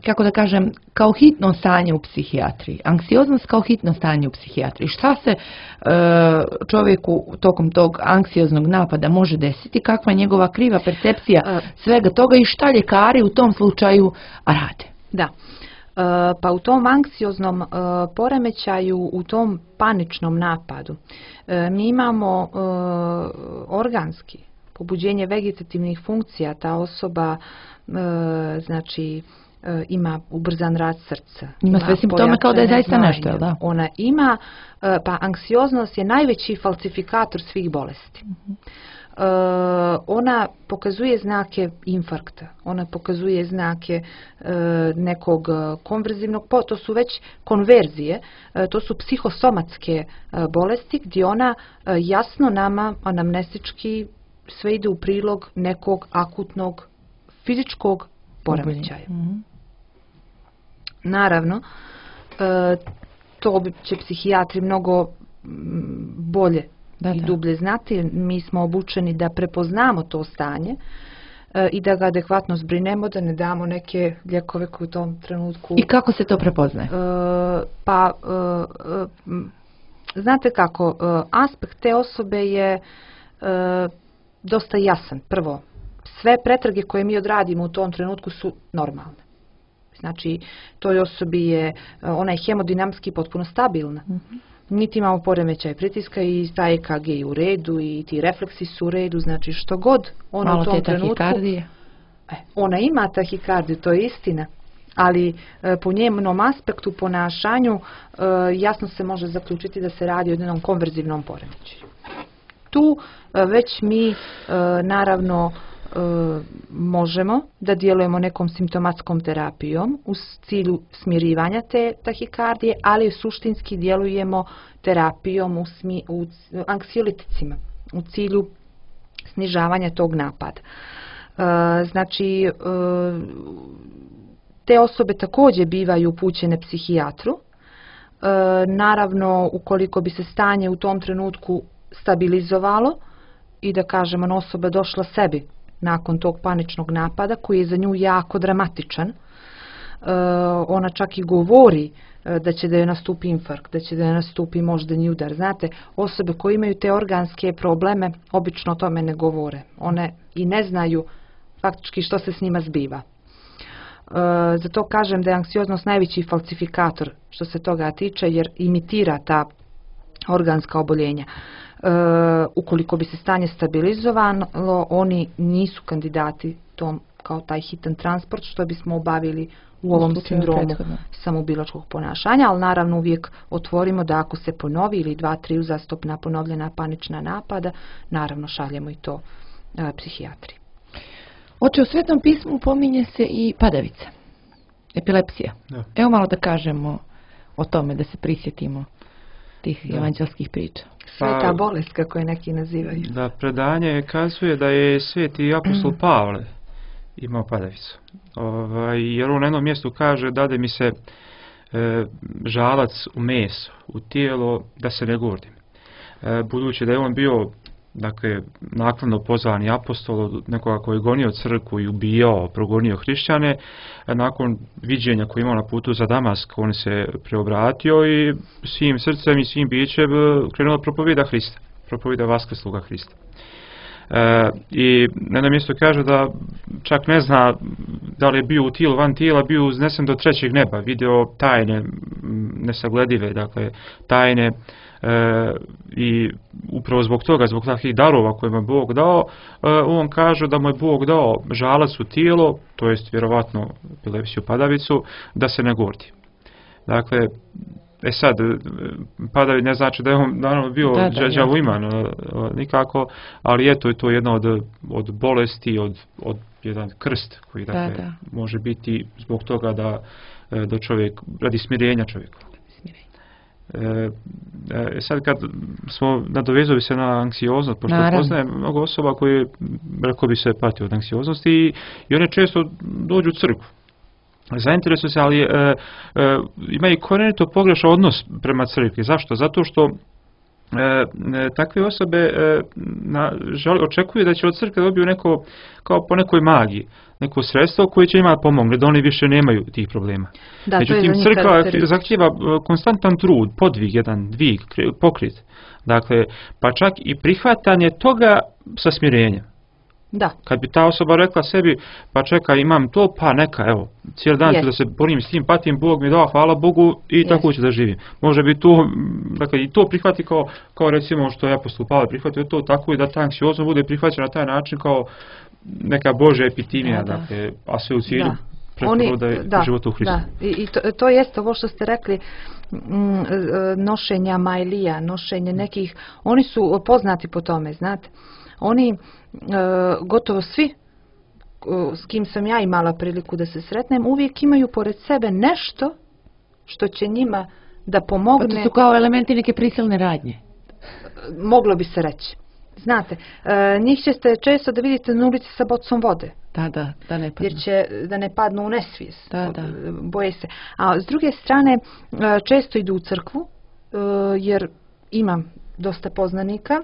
kako da kažem, kao hitno stanje u psihijatriji. Anksioznost kao hitno stanje u psihijatriji. Šta se čovjeku tokom tog anksioznog napada može desiti? Kakva je njegova kriva percepcija svega toga i šta ljekari u tom slučaju rade? Da. Pa u tom anksioznom poremećaju, u tom paničnom napadu, mi imamo organski pobuđenje vegetativnih funkcija. Ta osoba znači ima ubrzan rad srca. Ima sve simptome kao da je zaista pojačane nešto, jel da? Ona ima, pa anksioznost je najveći falsifikator svih bolesti. Ona pokazuje znake infarkta, ona pokazuje znake nekog konverzivnog, to su već konverzije, to su psihosomatske bolesti gdje ona jasno nama anamnestički sve ide u prilog nekog akutnog fizičkog poremećaja. Naravno, to će psihijatri mnogo bolje i dublje znati. Mi smo obučeni da prepoznamo to stanje i da ga adekvatno zbrinemo, da ne damo neke lijekove koje u tom trenutku... I kako se to prepoznaje? Znate kako, aspekt te osobe je dosta jasan. Prvo, sve pretrage koje mi odradimo u tom trenutku su normalne. Znači, toj osobi je, ona je hemodinamski potpuno stabilna. Niti imamo poremećaj pritiska i ta EKG je u redu i ti refleksi su u redu, znači što god ona u tom trenutku... tahikardije? Ona ima tahikardiju, to je istina, ali po njenom aspektu, ponašanju, jasno se može zaključiti da se radi o jednom konverzivnom poremećaju. Tu već mi naravno možemo da djelujemo nekom simptomatskom terapijom u cilju smirivanja te tahikardije, ali suštinski djelujemo terapijom u anksioliticima, u cilju snižavanja tog napada. Znači, te osobe također bivaju upućene psihijatru. Naravno, ukoliko bi se stanje u tom trenutku stabilizovalo i da kažemo osoba došla sebi nakon tog paničnog napada koji je za nju jako dramatičan, ona čak i govori da će da joj nastupi infarkt, da će da joj nastupi moždani udar. Znate, osobe koje imaju te organske probleme obično o tome ne govore. One i ne znaju faktički što se s njima zbiva. Zato kažem da je anksioznost najveći falsifikator što se toga tiče, jer imitira ta organska oboljenja. Ukoliko bi se stanje stabilizovalo, oni nisu kandidati tom kao taj hitan transport što bismo obavili u ovom sindromu samobilačkog ponašanja, ali naravno uvijek otvorimo da ako se ponovi ili 2-3 uzastopna ponovljena panična napada, naravno šaljemo i to psihijatri. Oče, u Svetom pismu pominje se i padavica, epilepsija. Da. Evo malo da kažemo o tome, da se prisjetimo tih evanđelskih priča. Sveta bolest, kako je neki nazivaju. Da, predanje kazuje da je sveti apostol Pavle imao padavicu. Jer on na jednom mjestu kaže dade mi se žalac u meso, u tijelo, da se ne gordim. Budući da je on bio naknadno pozvani apostol od nekoga koji je gonio crkvu i ubijao, progonio hrišćane, nakon viđenja koje imao na putu za Damask, on se preobratio i svim srcem i svim bićem krenuo propovida Hrista, propovida vaskrsloga Hrista. I na jednom mjestu kaže da čak ne zna da li je bio u tijelu, van tijela, bio uznesen do trećeg neba, video tajne nesagledive, tajne, i upravo zbog toga, zbog takvih darova koje mu je Bog dao, on kaže da mu je Bog dao žalac u tijelo, to jest vjerovatno epilepsiju, padavicu, da se ne gordi. Dakle, sad, padavi ne znači da je on naravno bio đavoliman nikako, ali eto je to jedna od bolesti, od jedan krst koji može biti zbog toga da čovjek, radi smirenja čovjeka. Sad kad smo nadovezali se na anksioznost, pošto poznajem mnogo osoba koje, rekao bi se, pati od anksioznosti i one često dođu u crkvu. Zainteresuju se, ali ima i korenito pogrešan odnos prema crkvi. Zašto? Zato što takve osobe očekuju da će od crkve dobiju neko, kao po nekoj magiji, neko sredstvo koje će njima pomogne, da oni više nemaju tih problema. Da, međutim, crkva zahtijeva konstantan trud, podvig, jedan dvig, pokret. Dakle, pa čak i prihvatanje toga sa smirenjem. Da. Kad bi ta osoba rekla sebi, pa čekaj, imam to, pa neka, evo, cijeli dan ću da se borim s tim, patim, Bog mi dao, hvala Bogu i tako ću da živim. Može bi to, dakle, i to prihvati kao recimo što je apostol Pavle prihvatio to tako i da ta anksioznost bude prihvaćena na taj način kao neka Božja epitimija, dakle, a sve u cilju preporoda života u Hristu. Da, i to jeste ovo što ste rekli, nošenja majlija, nošenje nekih, oni su poznati po tome, znate. Oni gotovo svi s kim sam ja imala priliku da se sretnem uvijek imaju pored sebe nešto što će njima da pomogne. Pa to su kao elementi neke prisilne radnje. Moglo bi se reći. Znate, njih ćete često da vidite na ulici sa bocom vode. Da ne padnu. Jer će da ne padnu u nesvijest. Da. Boje se. A s druge strane, često idu u crkvu, jer imam dosta poznanika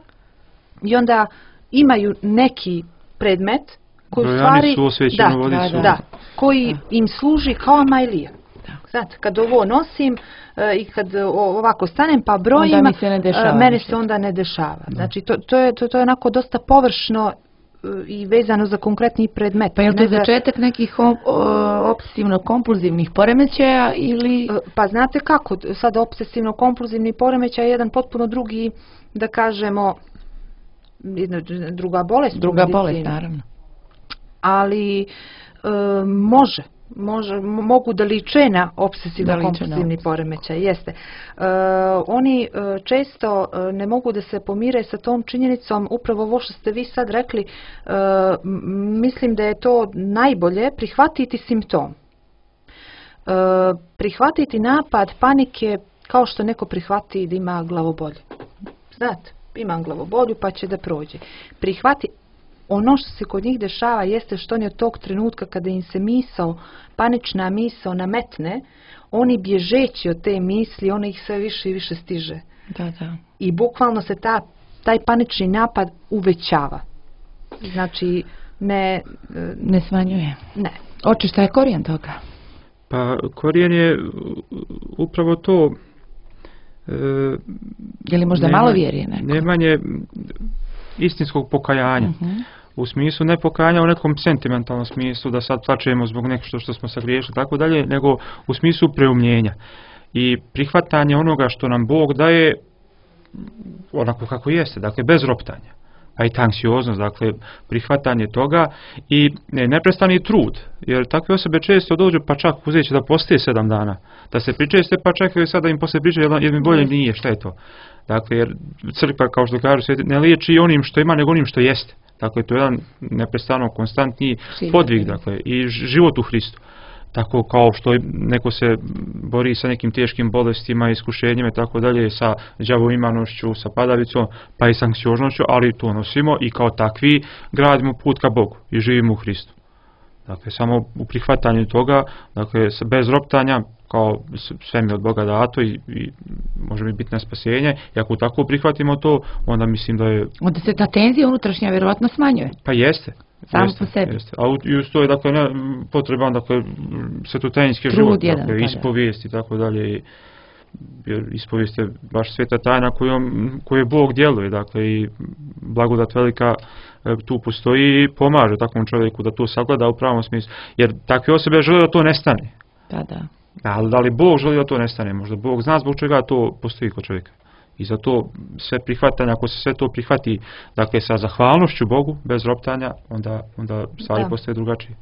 i onda imaju neki predmet koji u stvari koji im služi kao majlija. Znate, kad ovo nosim i kad ovako stanem pa brojim, mene se onda ne dešava. Znači, to je onako dosta površno i vezano za konkretni predmet. Pa je li to začetak nekih obsesivno-kompulzivnih poremećaja ili... Pa znate kako, sad obsesivno-kompulzivni poremećaj je jedan potpuno drugi, da kažemo, druga bolest. Druga bolest, naravno. Ali mogu da liče na obsesivno-kompulsivni poremećaj, jeste. Oni često ne mogu da se pomire sa tom činjenicom, upravo ovo što ste vi sad rekli, mislim da je to najbolje prihvatiti simptom. Prihvatiti napad panike kao što neko prihvati da ima glavobolju. Znate, imam glavobolju pa će da prođe. Prihvati. Ono što se kod njih dešava jeste što oni od tog trenutka kada im se panična misao nametne, oni bježeći od te misli, ona ih sve više i više stiže. Da. I bukvalno se taj panični napad uvećava. Znači, ne smanjuje. Ne. Oče, šta je korijen toga? Pa korijen je upravo to... Je li možda malo vjerije neko? Nemanje istinskog pokajanja. U smislu ne pokajanja u nekom sentimentalnom smislu da sad plačemo zbog nešto što smo sagriješili tako dalje, nego u smislu preumljenja i prihvatanje onoga što nam Bog daje onako kako jeste, dakle bez roptanja. Pa i ta anksioznost, dakle prihvatanje toga i neprestani trud, jer takve osobe često dođu pa čak uzet će da postoje 7 dana, da se pričeste pa čekaju sad da im poslije priče jer mi bolje nije, šta je to? Dakle, jer crkva, kao što kažu, ne liječi onim što ima, nego onim što jeste. Dakle, to je jedan neprestano konstantni podvig, dakle, i život u Hristu. Tako kao što neko se bori sa nekim teškim bolestima, iskušenjima i tako dalje, sa đavoimanošću, sa padavicom, pa i s anksioznošću, ali to nosimo i kao takvi gradimo put ka Bogu i živimo u Hristu. Dakle, samo u prihvatanju toga, dakle, bez roptanja, kao sve mi od Boga dato i može mi biti na spasenje. I ako tako prihvatimo to, onda mislim da je... Onda se ta tenzija unutrašnja vjerovatno smanjuje. Pa jeste. Samo po sebi. Jeste. A uz to je dakle, potreban svetotajinski život, dakle, ispovijest i tako dalje. Jer ispovijest je baš sveta tajna koju Bog djeluje. Dakle, i blagodat velika tu postoji i pomaže takvom čovjeku da to sagleda u pravom smislu. Jer takve osobe žele da to nestane. Da. Ali da li Bog želi da to nestane? Možda Bog zna zbog čega to postoji kod čovjeka. I zato sve prihvatanje, ako se sve to prihvati, dakle sa zahvalnošću Bogu, bez roptanja, onda stvari postaje drugačije.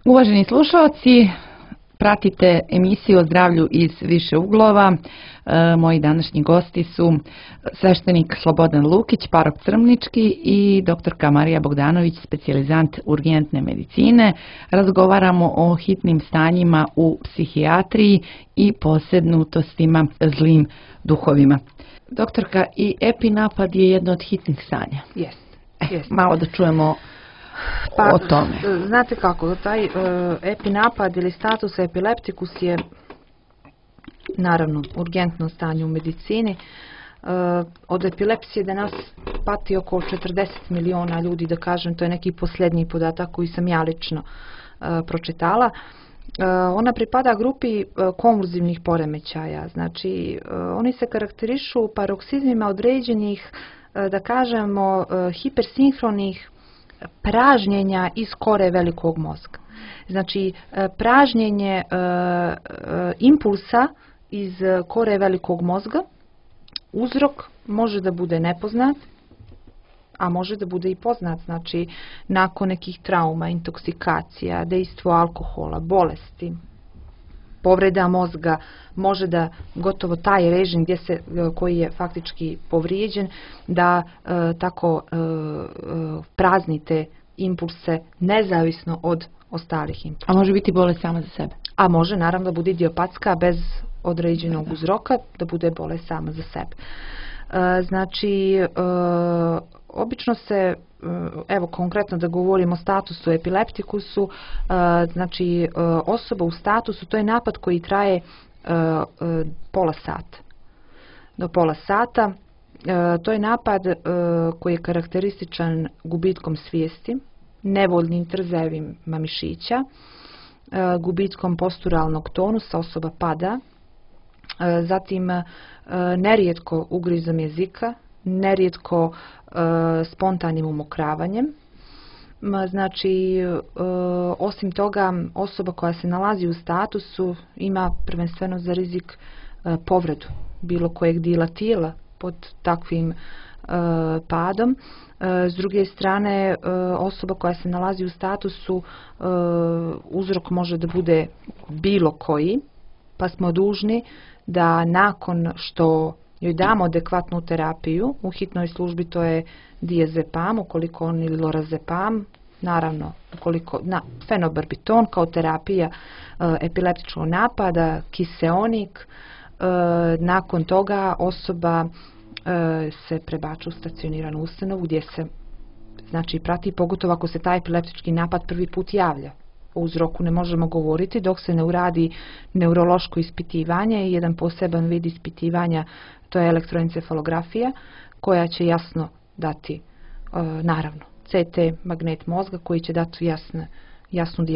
Uvaženi slušalci, pratite emisiju o zdravlju iz više uglova. Moji današnji gosti su sveštenik Slobodan Lukić, parok Crmnički, i doktorka Marija Bogdanović, specijalizant urgentne medicine. Razgovaramo o hitnim stanjima u psihijatriji i posebnutostima zlim duhovima. Doktorka, i epinapad je jedno od hitnih stanja. Jest. Malo da čujemo o tome. Znate kako, taj epinapad ili status epileptikus je naravno urgentno stanje u medicini. Od epilepsije danas pati oko 40 miliona ljudi, da kažem, to je neki posljednji podatak koji sam ja lično pročitala. Ona pripada grupi konvulzivnih poremećaja, znači oni se karakterišu paroksizmima određenih, da kažemo, hipersinhronih pražnjenja iz kore velikog mozga. Znači, pražnjenje impulsa iz kore velikog mozga, uzrok može da bude nepoznat, a može da bude i poznat. Znači, nakon nekih trauma, intoksikacija, dejstvo alkohola, bolesti, povreda mozga, može da gotovo taj režim koji je faktički povrijeđen, da tako praznite impulse nezavisno od ostalih impulsa. A može biti bolest sama za sebe? A može naravno da bude idiopatska bez određenog uzroka, da bude bolest sama za sebe. Znači, obično se, evo konkretno da govorimo o statusu epileptikusu, znači osoba u statusu, to je napad koji traje pola sata. Do pola sata. To je napad koji je karakterističan gubitkom svijesti, nevoljnim trzajevima mišića, gubitkom posturalnog tonusa, osoba pada, zatim nerijetko ugrizom jezika, nerijetko spontanim umokravanjem. Znači, osim toga, osoba koja se nalazi u statusu ima prvenstveno za rizik povredu bilo kojeg dijela tijela pod takvim padom. S druge strane, osoba koja se nalazi u statusu, uzrok može da bude bilo koji, pa smo dužni da nakon što joj damo adekvatnu terapiju, u hitnoj službi to je diazepam, ukoliko on, ili lorazepam, naravno ukoliko fenobarbiton kao terapija epileptičkog napada, kiseonik, nakon toga osoba se prebača u stacioniranu ustanovu gdje se, znači, prati, pogotovo ako se taj epileptički napad prvi put javlja. O uzroku ne možemo govoriti dok se ne uradi neurološko ispitivanje i jedan poseban vid ispitivanja, to je elektroencefalografija, koja će jasno dati, naravno, CT magnet mozga koji će dati jasna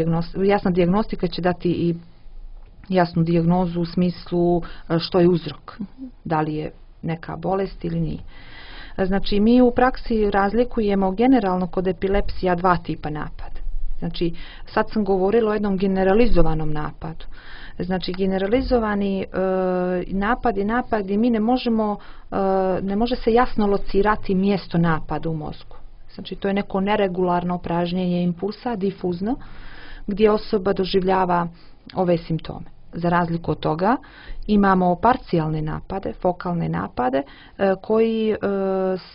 dijagnostika, će dati i jasnu dijagnozu u smislu što je uzrok, da li je neka bolest ili nije. Znači, mi u praksi razlikujemo generalno kod epilepsija dva tipa napada. Znači, sad sam govorila o jednom generalizovanom napadu. Znači, generalizovani napad je napad gdje mi ne može se jasno locirati mjesto napada u mozgu. Znači, to je neko neregularno pražnjenje impulsa, difuzno, gdje osoba doživljava ove simptome. Za razliku od toga imamo parcijalne napade, fokalne napade, koji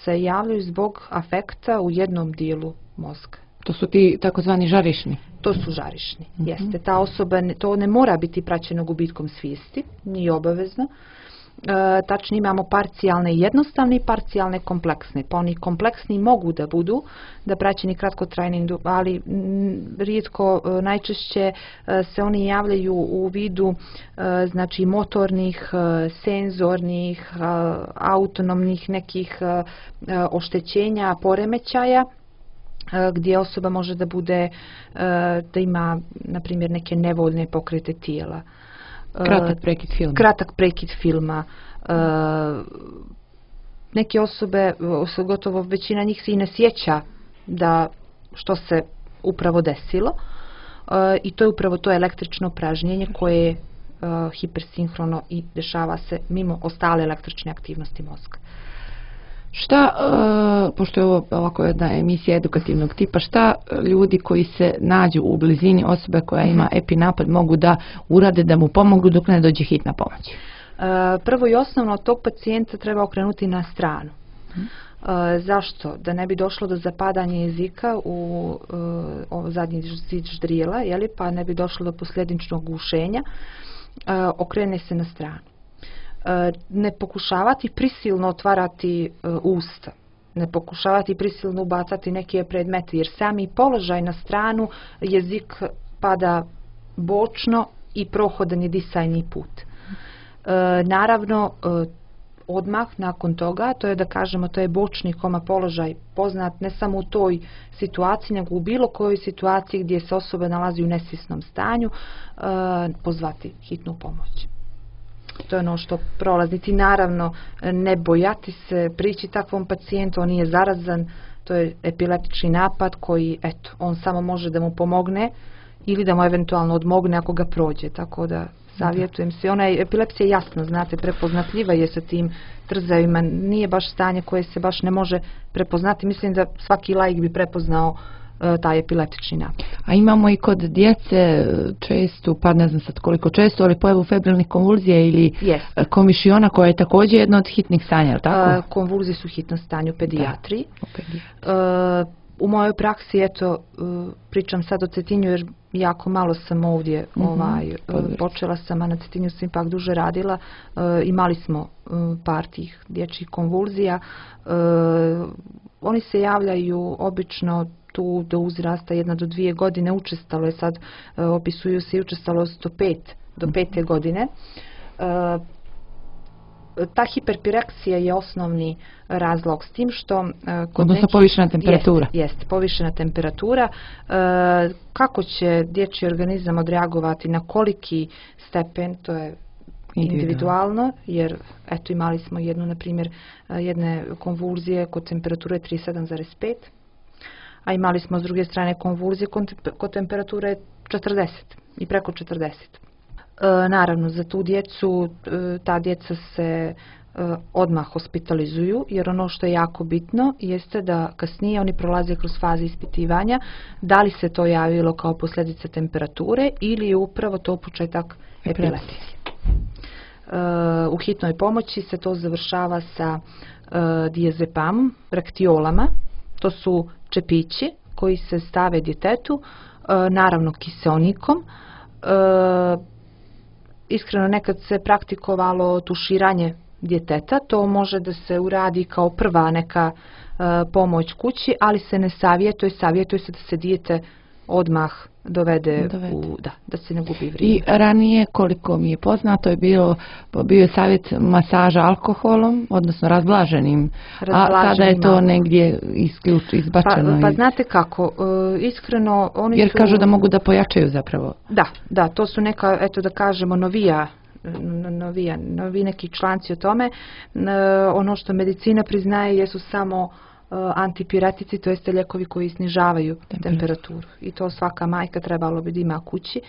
se javljaju zbog afekta u jednom dijelu mozga. To su ti takozvani žarišni? To su žarišni, jeste. Ta osoba, to ne mora biti praćeno gubitkom svijesti, nije obavezno. Tačno imamo parcijalne jednostavne i parcijalne kompleksne. Pa oni kompleksni mogu da budu, da praćeni kratkotrajnim, ali rijetko, najčešće se oni javljaju u vidu, znači, motornih, senzornih, autonomnih nekih oštećenja, poremećaja, gdje osoba može da bude, da ima, na primjer, neke nevoljne pokrete tijela. Kratak prekid filma. Neke osobe, gotovo većina njih se i ne sjeća da što se upravo desilo, i to je upravo to električno pražnjenje koje je hipersinhrono i dešava se mimo ostale električne aktivnosti mozga. Šta, pošto je ovo ovako jedna emisija edukativnog tipa, šta ljudi koji se nađu u blizini osobe koja ima epinapad mogu da urade da mu pomogu dok ne dođe hitna pomoć? Prvo i osnovno, tog pacijenta treba okrenuti na stranu. Zašto? Da ne bi došlo do zapadanja jezika u zadnji zid ždrijela, pa ne bi došlo do posljedičnog gušenja, okrene se na stranu. Ne pokušavati prisilno otvarati usta, ne pokušavati prisilno ubacati neke predmete, jer sami položaj na stranu jezik pada bočno i prohodan je disajni put. Naravno, odmah nakon toga, to je da kažemo, to je bočni koma položaj poznat ne samo u toj situaciji, nego u bilo kojoj situaciji gdje se osoba nalazi u nesvjesnom stanju, pozvati hitnu pomoć. To je ono što prolaznici, naravno, ne bojati se prići takvom pacijentu, on nije zarazan, to je epileptični napad koji, eto, on samo može da mu pomogne ili da mu eventualno odmogne ako ga prođe, tako da savjetujem se. Ona je, epilepsija je jasno, znate, prepoznatljiva je sa tim trzajima, nije baš stanje koje se baš ne može prepoznati, mislim da svaki laik bi prepoznao taj epileptični napad. A imamo i kod djece često, pa ne znam sad koliko često, ali pojavu febrilnih konvulzija ili komišiona koja je također jedno od hitnih stanja, ali tako? Konvulzije su hitno stanje u pedijatriji. U mojoj praksi, eto, pričam sad o Cetinju jer jako malo sam ovdje počela sam, a na Cetinju sam ipak duže radila. Imali smo par tih dječjih konvulzija. Oni se javljaju obično tu do uzrasta 1 do 2 godine, učestalo je sad, opisuju se i učestalost do 5. godine. Ta hiperpireksija je osnovni razlog, s tim što odnosno povišena temperatura. Jest, povišena temperatura. Kako će dječji organizam odreagovati, na koliki stepen, to je individualno, jer eto imali smo jedne konvulzije kod temperature 37,5, a imali smo s druge strane konvulzije kod temperature 40 i preko 40. Naravno, za tu djecu, ta djeca se odmah hospitalizuju, jer ono što je jako bitno jeste da kasnije oni prolaze kroz faze ispitivanja, da li se to javilo kao posljedica temperature ili je upravo to početak epilepsije. U hitnoj pomoći se to završava sa diazepamom, raktiolama, to su čepići koji se stave djetetu, naravno kiseonikom. Iskreno, nekad se praktikovalo tuširanje djeteta, to može da se uradi kao prva neka pomoć kući, ali se ne savjetuje se da se dijete odmah dovede. Da se ne gubi vrijeme. I ranije, koliko mi je poznato, bio je savjet masaža alkoholom, odnosno razblaženim, a sada je to negdje izbačeno. Pa znate kako, iskreno oni jer kažu da mogu da pojačaju zapravo. Da, to su neka, eto da kažemo, novi neki članci o tome. Ono što medicina priznaje jesu samo antipiretici, to jeste lijekovi koji snižavaju temperaturu. I to svaka majka trebalo bi da ima kući.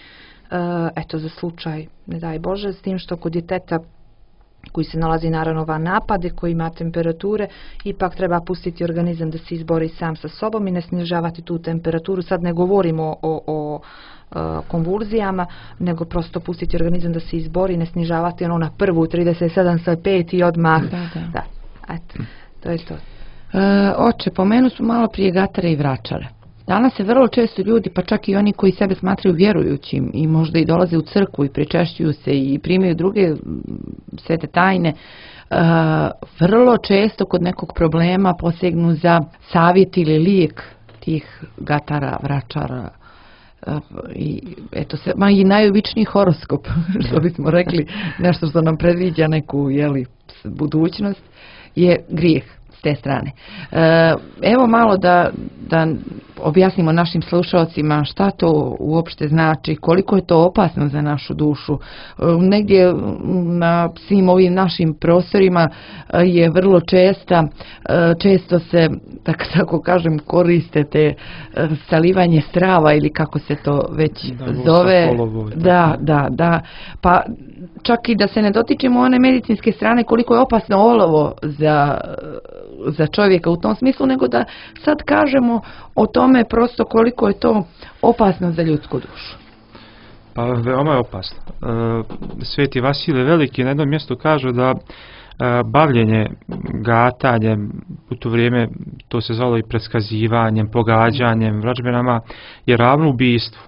Eto, za slučaj, ne daj Bože, s tim što kod djeteta koji se nalazi naravno van napade, koji ima temperature, ipak treba pustiti organizam da se izbori sam sa sobom i ne snižavati tu temperaturu. Sad ne govorimo o konvulzijama, nego prosto pustiti organizam da se izbori, ne snižavati ono na prvu 37,5 i odmah. Da. Eto, to je to. Oče, pomenu smo malo prije gatare i vračare. Danas se vrlo često ljudi, pa čak i oni koji sebe smatraju vjerujućim i možda i dolaze u crkvu i pričešćuju se i primaju druge svete tajne, vrlo često kod nekog problema posegnu za savjet ili lijek tih gatara, vračara. I eto se, i najobičniji horoskop, što bismo rekli, nešto što nam predviđa neku budućnost, je grijeh s te strane. Evo malo da objasnimo našim slušalcima šta to uopšte znači, koliko je to opasno za našu dušu. Negdje na svim ovim našim prostorima je vrlo često se, tako kažem, koriste te salivanje strava ili kako se to već zove. Kolovo, da. Pa čak i da se ne dotičemo one medicinske strane koliko je opasno olovo za čovjeka u tom smislu, nego da sad kažemo o tome prosto koliko je to opasno za ljudsku dušu. Pa veoma je opasno. Sveti Vasilije Veliki na jednom mjestu kaže da bavljenje gatanjem u to vrijeme, to se zvalo i preskazivanjem, pogađanjem, vražbinama, je ravno ubijstvu.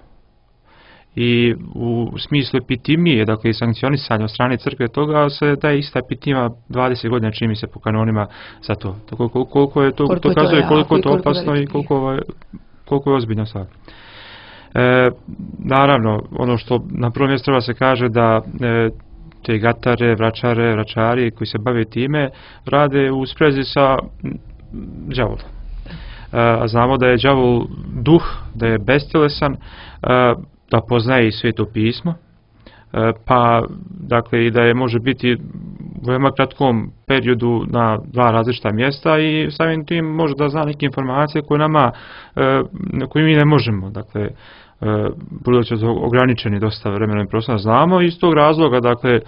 I u smislu epitimije, dakle i sankcionisanja od strane crkve toga, se daje ista epitima 20 godina čini mi se po kanonima za to. Tako koliko je to, to kazuje koliko je to opasno i koliko je ozbiljna stvar. Naravno, ono što na prvom mjestu treba se kaže da te gatare, vračari koji se bave time rade u sprezi sa đavolom. A znamo da je đavol duh, da je bestjelesan, da poznaje i Sveto pismo, pa dakle i da je može biti u veoma kratkom periodu na dva različita mjesta i samim tim može da zna neke informacije koje mi ne možemo. Dakle, budući da ograničeni dosta vremena i prostora znamo i iz tog razloga, dakle,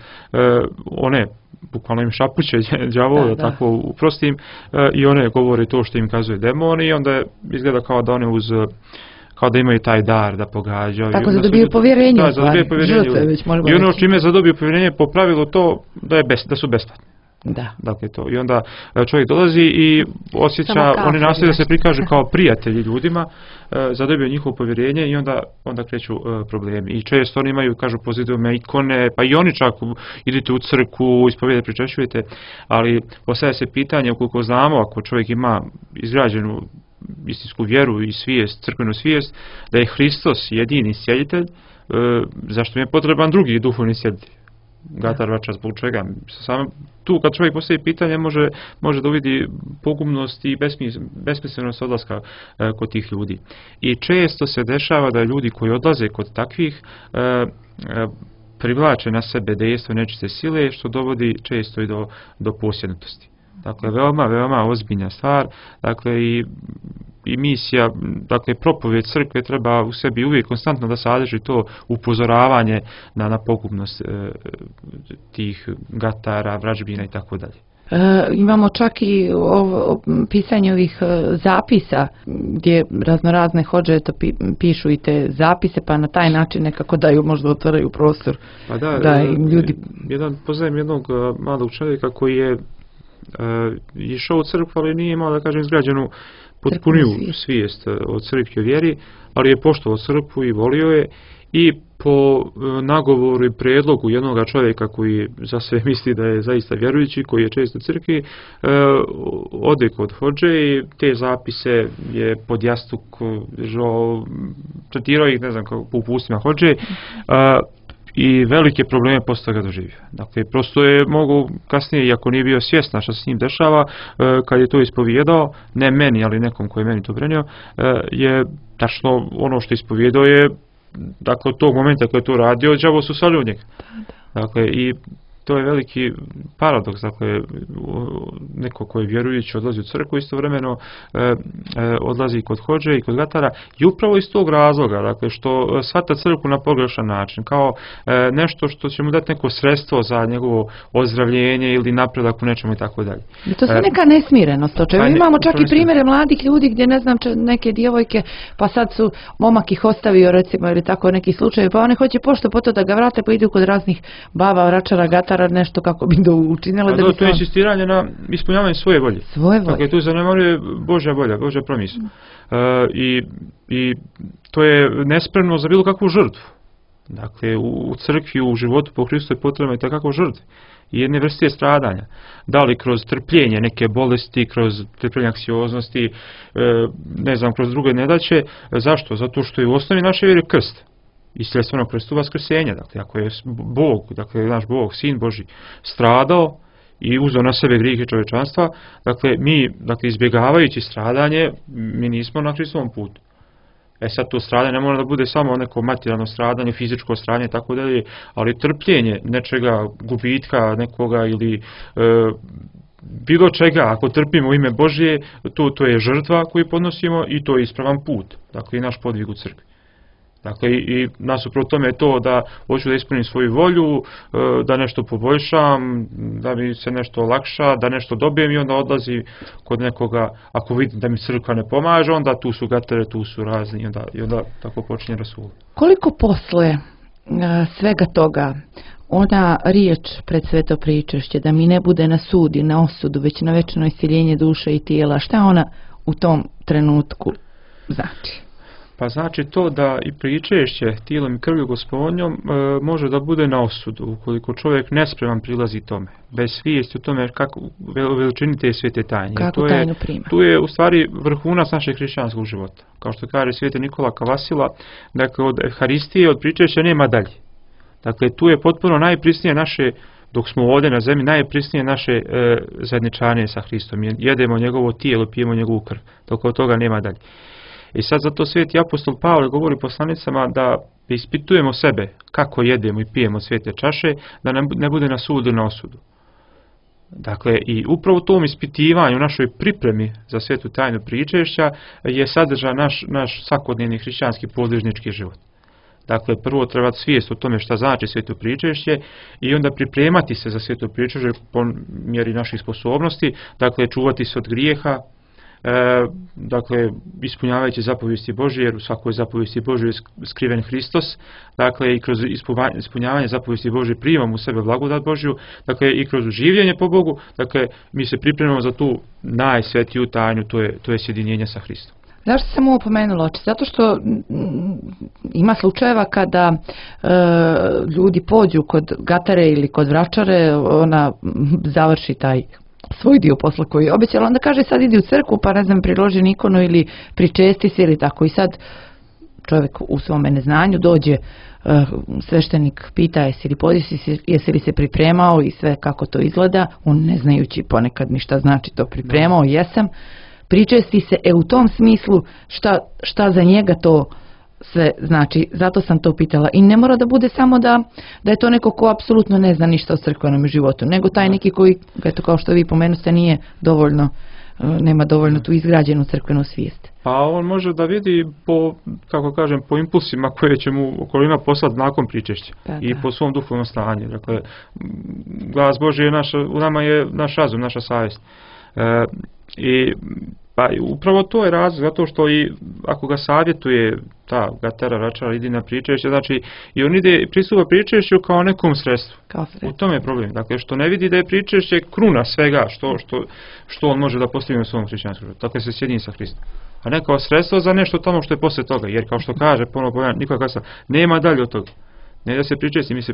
one bukvalno im šapuće đavola, tako uprostim, i one govore to što im kazuje demon i onda izgleda kao da one kao da imaju taj dar da pogađaju. Tako da dobiju povjerenje. Da, dobiju povjerenje. I ono čime zadobiju povjerenje po pravilu to da su besplatni. Da. Dakle to. I onda čovjek dolazi i osjeća, oni nastoje da se prikažu kao prijatelji ljudima, zadobiju njihovo povjerenje i onda kreću problemi. I često oni imaju, kažu, po zidovima ikone, pa i oni čak idete u crkvu, ispovijede, pričešćujete, ali postavlja se pitanje, ukoliko znamo, ako čovjek ima izgrađenu istinsku vjeru i svijest, crkvenu svijest, da je Hristos jedini sjeditelj, zašto mi je potreban drugi duhovni sjeditelj? Gatar, vračar, zbog čega? Samo tu kad čovjek postavi pitanje može da uvidi pogubnost i besmislenost odlaska kod tih ljudi. I često se dešava da ljudi koji odlaze kod takvih privlače na sebe dejstvo nečiste sile, što dovodi često i do posjednutosti. Dakle, veoma ozbiljna stvar. Dakle, i misija, dakle, propovijed crkve treba u sebi uvijek konstantno da sadrži to upozoravanje na pogubnost tih gatara, vražbina i tako dalje. Imamo čak i pisanje ovih zapisa gdje raznorazne hodže pišu i te zapise, pa na taj način nekako daju, možda otvaraju prostor. Pa da im ljudi... Poznajem jednog mladog čovjeka koji je išao u crkvu, ali nije imao, da kažem, izgrađenu potpuniju svijest o crkvi, o vjeri, ali je poštovao crkvu i volio je i po nagovoru i predlogu jednog čovjeka koji za sve misli da je zaista vjerujući, koji je često u crkvi, ode kod hodže i te zapise je pod jastuk tretirao ih, ne znam, po upustima hodže, i velike probleme posle toga doživio. Dakle, prosto je mogu kasnije, iako nije bio svjestan što se s njim dešava, kad je to ispovijedao, ne meni, ali nekom koji je meni to prenio, je tačno ono što ispovijedao je, dakle, od tog momenta koji je to radio, đavo su sali od njega. Dakle, i to je veliki paradoks, dakle, neko koji je vjerujući odlazi u crkvu, istovremeno odlazi kod hodže i kod gatara, i upravo iz tog razloga, dakle, što shvata crkvu na pogrešan način, kao nešto što će mu dati neko sredstvo za njegovo ozdravljenje ili napredak u nečemu i tako dalje. I to sve neka nesmirenost, o čemu imamo čak i primjere mladih ljudi gdje, ne znam, neke djevojke, pa sad su momak ih ostavio, recimo, ili tako neki slučaj, pa one hoće pošto po to da ga vrate, pa idu kod raznih baba, vračara, gatara, nešto kako bi učinile da bi to je insistiranje na ispunjavanje svoje volje. Dakle, tu zanemaruje Božja volja, Božja promisao. I to je nespremno za bilo kakvu žrtvu. Dakle, u crkvi, u životu po Hristu je potrebna i takva žrtva. I jedne vrste stradanja. Da li kroz trpljenje neke bolesti, kroz trpljenje anksioznosti, ne znam, kroz druge nedaće. Zašto? Zato što je u osnovi naše vjere krst. I sredstvenog krstu vaskrsenja. Dakle, ako je Bog, dakle, naš Bog, Sin Božji, stradao i uzeo na sebe grijehe čovječanstva, dakle, mi, dakle, izbjegavajući stradanje, mi nismo na Hristovom putu. Sad to stradanje ne mora da bude samo neko materijalno stradanje, fizičko stradanje, tako dalje, ali trpljenje nečega, gubitka nekoga ili bilo čega, ako trpimo u ime Božje, to je žrtva koju podnosimo i to je ispravan put, dakle, i naš podvig u crkvi. Dakle, i nasuprot tome je to da hoću da ispunim svoju volju, da nešto poboljšam, da mi se nešto olakša, da nešto dobijem i onda odlazi kod nekoga, ako vidim da mi crkva ne pomaže, onda tu su gatere, tu su razni i onda tako počinje rasul. Koliko posle svega toga ona riječ pred sveto pričešće, da mi ne bude na sud i na osudu, već na večno isceljenje duše i tijela, šta ona u tom trenutku znači? Pa znači to da i pričešće tijelom i krvlju Gospodnjom može da bude na osudu, ukoliko čovjek nespreman prilazi tome, bez svijesti o tome kako veličini te svete tajne. Kako tajnu prima. Tu je u stvari vrhunac našeg hrišćanskog života. Kao što kaže sveti Nikola Kavasila, dakle od Euharistije, od pričešća nema dalje. Dakle, tu je potpuno najprisnije naše, dok smo ovdje na zemlji, najprisnije naše zajedničanje sa Hristom. Jedemo njegovo tijelo, pijemo njegovu krv, dok od toga nema dalje. I sad zato sveti apostol Pavle govori poslanicama da ispitujemo sebe kako jedemo i pijemo svete čaše, da ne bude na sudu na osudu. Dakle, i upravo u tom ispitivanju, našoj pripremi za svetu tajnu pričešća je sadržan naš svakodnevni hrišćanski podvižnički život. Dakle, prvo treba svijest o tome šta znači sveto pričešće i onda pripremati se za sveto pričešće po mjeri naših sposobnosti, dakle, čuvati se od grijeha, dakle, ispunjavajući zapovijesti Božje, jer u svakoj zapovijesti Božje je skriven Hristos, dakle, i kroz ispunjavanje zapovijesti Božje primamo u sebe blagodat Božju, dakle, i kroz življenje po Bogu, dakle, mi se pripremamo za tu najsvetiju tajnu, to je sjedinjenje sa Hristom. Zašto sam ovo pomenula? Zato što ima slučajeva kada ljudi pođu kod gatare ili kod vračare, ona završi taj svoj dio posla koji je obećala, onda kaže sad idi u crkvu pa ne znam priloži ikonu ili pričesti se ili tako, i sad čovjek u svome neznanju dođe, sveštenik pita jesi li se pripremao i sve kako to izgleda, on ne znajući ponekad ni šta znači to pripremao, jesam, pričesti se, u tom smislu šta za njega to sve znači, zato sam to pitala. I ne mora da bude samo da je to neko ko apsolutno ne zna ništa o crkvenom životu, nego taj neki koji, eto kao što vi pomenuste, nije dovoljno, nema dovoljno tu izgrađenu crkvenu svijest. Pa on može da vidi po impulsima koje će mu okolina poslati nakon pričešća i po svom duhovnom stanju. Dakle, glas Božji u nama je naš razum, naša savjest. Pa upravo to je razlog, zato što i ako ga savjetuje ta gatara, račara, idi na pričešće, znači i on ide pristupa pričešću kao nekom sredstvu. U tome je problem. Dakle, što ne vidi da je pričešće kruna svega što on može da postigne u svom hrišćanskom životu. Dakle, se sjedini sa Hristom. A ne kao sredstvo za nešto tamo što je poslije toga. Jer kao što kaže, ponovno Nikola Kavasila, nema dalje od toga. Ne da se pričešći, mi se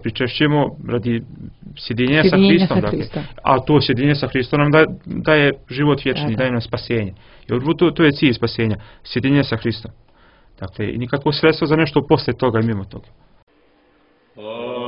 pričešćemo radi sjedinjenja sa Hristom. A to sjedinjenje sa Hristom nam daje život vječni, daje nam spasenje. Jer to je cilj spasenja, sjedinjenje sa Hristom. Dakle, i nikakvo sredstvo za nešto poslije toga i mimo toga. Yeah.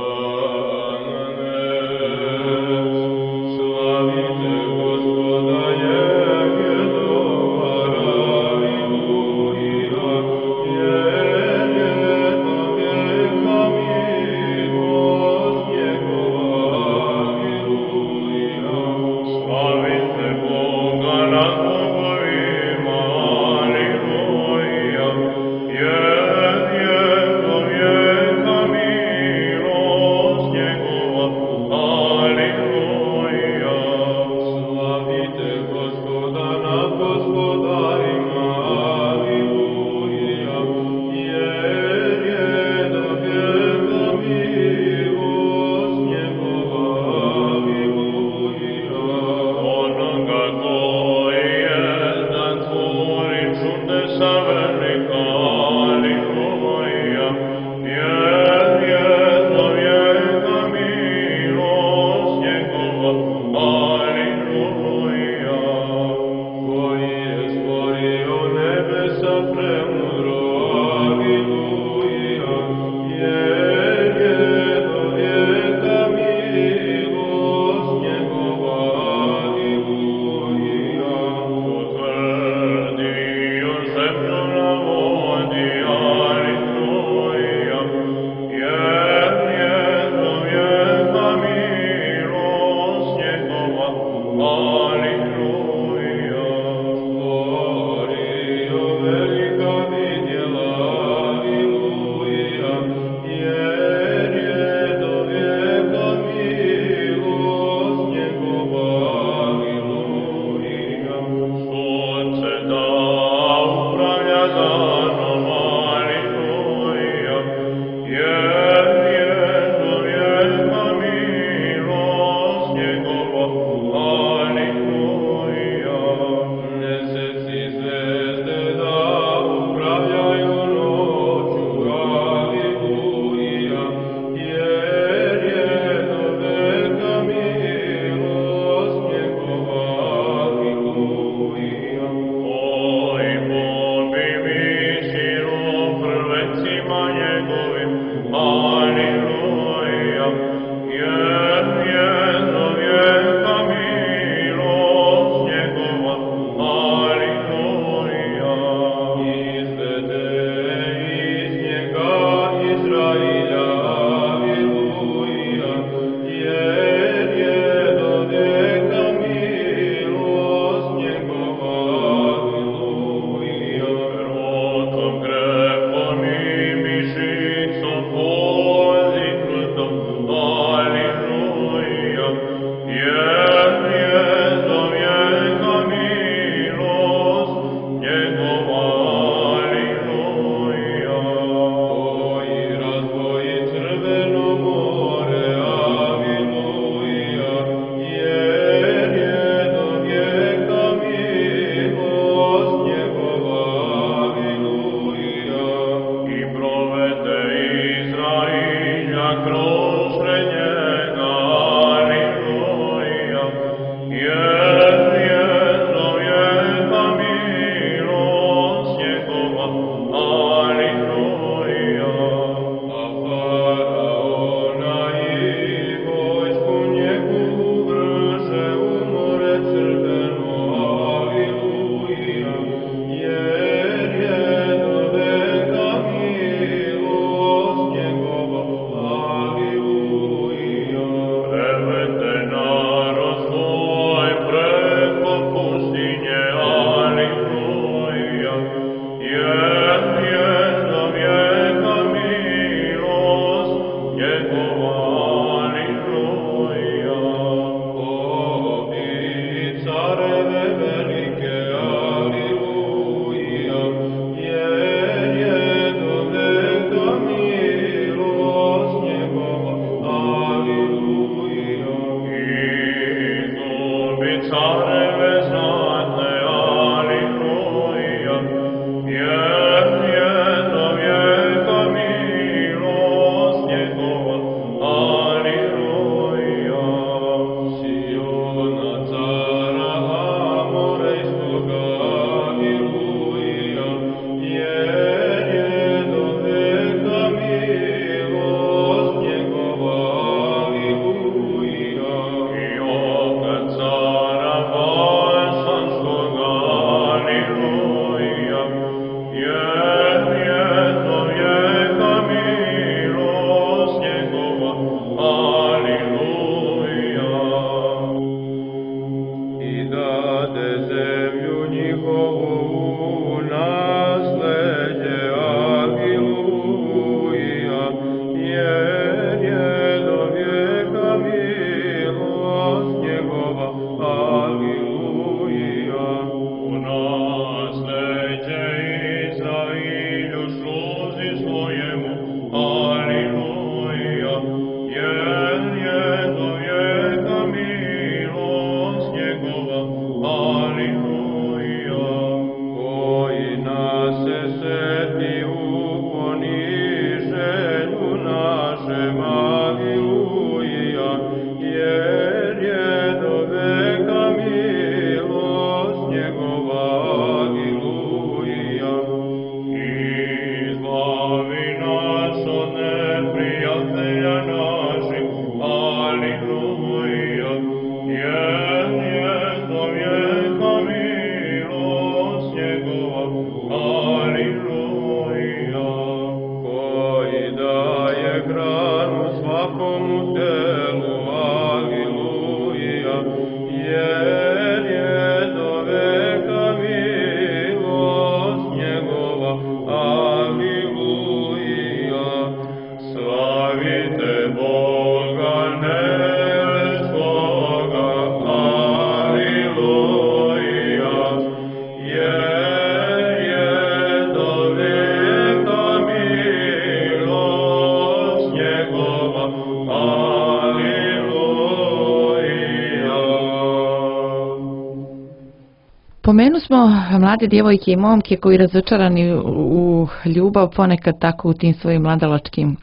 Pomenu smo mlade djevojke i momke koji razočarani u ljubav ponekad tako u tim svojim mladalačkim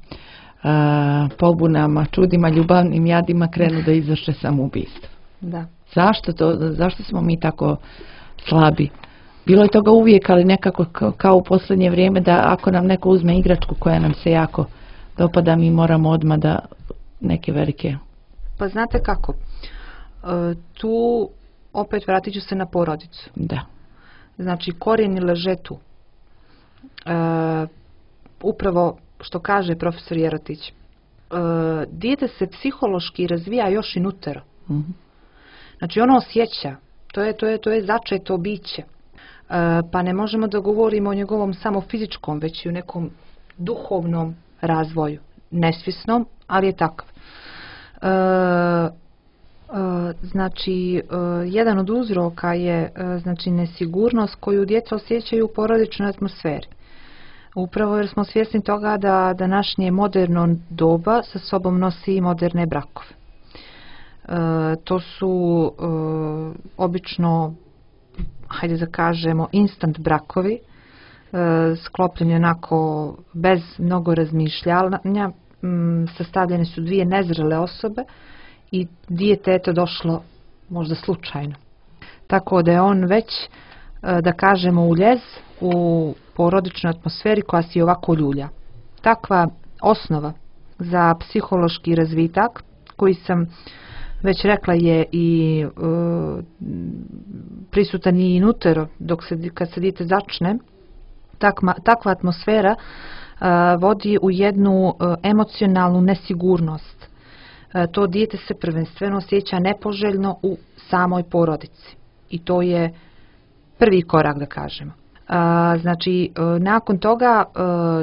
pobunama, čudima, ljubavnim jadima krenu da izvrše samoubistvo. Da. Zašto smo mi tako slabi Bilo je toga uvijek, ali nekako kao u posljednje vrijeme da ako nam neko uzme igračku koja nam se jako dopada, mi moramo odmah da neke velike... Pa znate kako, tu opet vratit ću se na porodicu. Da. Znači korijeni leže tu. Upravo što kaže profesor Jerotić, dijete se psihološki razvija još i nutero. Znači ono osjeća, to je začeto biće. Pa ne možemo da govorimo o njegovom samo fizičkom, već i o nekom duhovnom razvoju. Nesvjesnom, ali je takav. Znači, jedan od uzroka je znači, nesigurnost koju djeca osjećaju u porodičnoj atmosferi. Upravo jer smo svjesni toga da današnje moderno doba sa sobom nosi moderne brakove. To su obično, hajde da kažemo, instant brakovi, sklopljeni onako bez mnogo razmišljanja, sastavljene su dvije nezrele osobe i dijete je to došlo možda slučajno. Tako da je on već, da kažemo, uljez u porodičnoj atmosferi koja se i ovako ljulja. Takva osnova za psihološki razvitak, koji sam već rekla je i prisutan i inutero kad se dijete začne, takva atmosfera vodi u jednu emocionalnu nesigurnost. To dijete se prvenstveno osjeća nepoželjno u samoj porodici. I to je prvi korak, da kažemo. Znači, nakon toga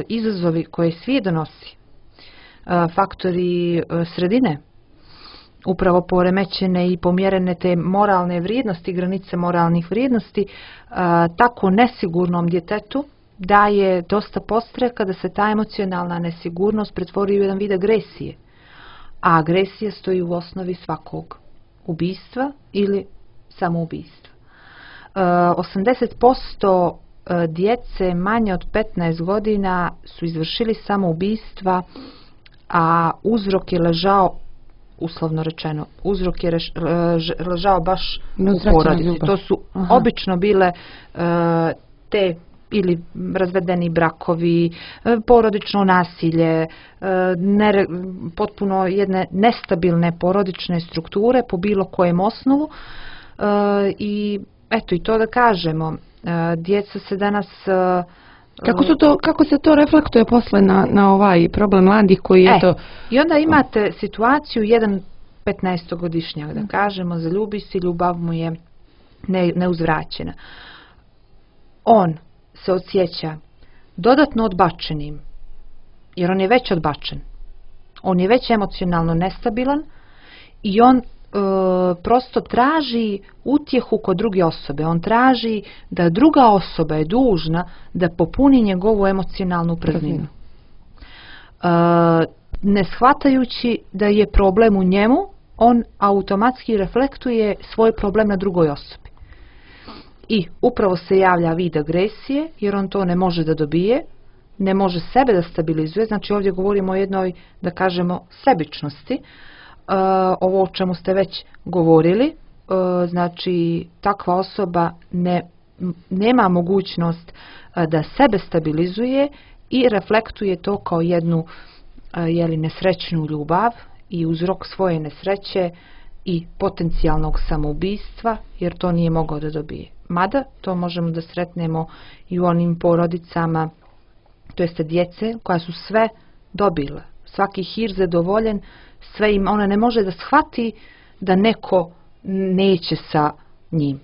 izazovi koje svijet donosi, faktori sredine, upravo poremećene i pomjerene te moralne vrijednosti, granice moralnih vrijednosti, tako nesigurnom djetetu daje dosta podstreka da se ta emocionalna nesigurnost pretvori u jedan vid agresije. A agresija stoji u osnovi svakog ubistva ili samoubistva. 80% djece manje od 15 godina su izvršili samoubistva, a uzrok je ležao, uslovno rečeno, uzrok je ležao baš u porodici. To su obično bile te ili razvedeni brakovi, porodično nasilje, potpuno jedne nestabilne porodične strukture po bilo kojem osnovu. I eto, i to da kažemo, djeca se danas... Kako se to reflektuje posle na ovaj problem mladih koji je to... I onda imate situaciju, jedan 15-godišnjak, da kažemo, zaljubi se, ljubav mu je neuzvraćena. On se osjeća dodatno odbačenim, jer on je već odbačen. On je već emocionalno nestabilan i on prosto traži utjehu kod druge osobe. On traži da druga osoba je dužna da popuni njegovu emocionalnu prazninu. Ne shvatajući da je problem u njemu, on automatski reflektuje svoj problem na drugoj osobi. I upravo se javlja vid agresije, jer on to ne može da dobije, ne može sebe da stabilizuje. Znači ovdje govorimo o jednoj, da kažemo, sebičnosti. Ovo o čemu ste već govorili, znači takva osoba nema mogućnost da sebe stabilizuje i reflektuje to kao jednu nesrećnu ljubav i uzrok svoje nesreće i potencijalnog samoubistva, jer to nije mogao da dobije. Mada to možemo da sretnemo i u onim porodicama, to jeste djece koja su sve dobile, svaki hir zadovoljen, sve im, ona ne može da shvati da neko neće sa njim.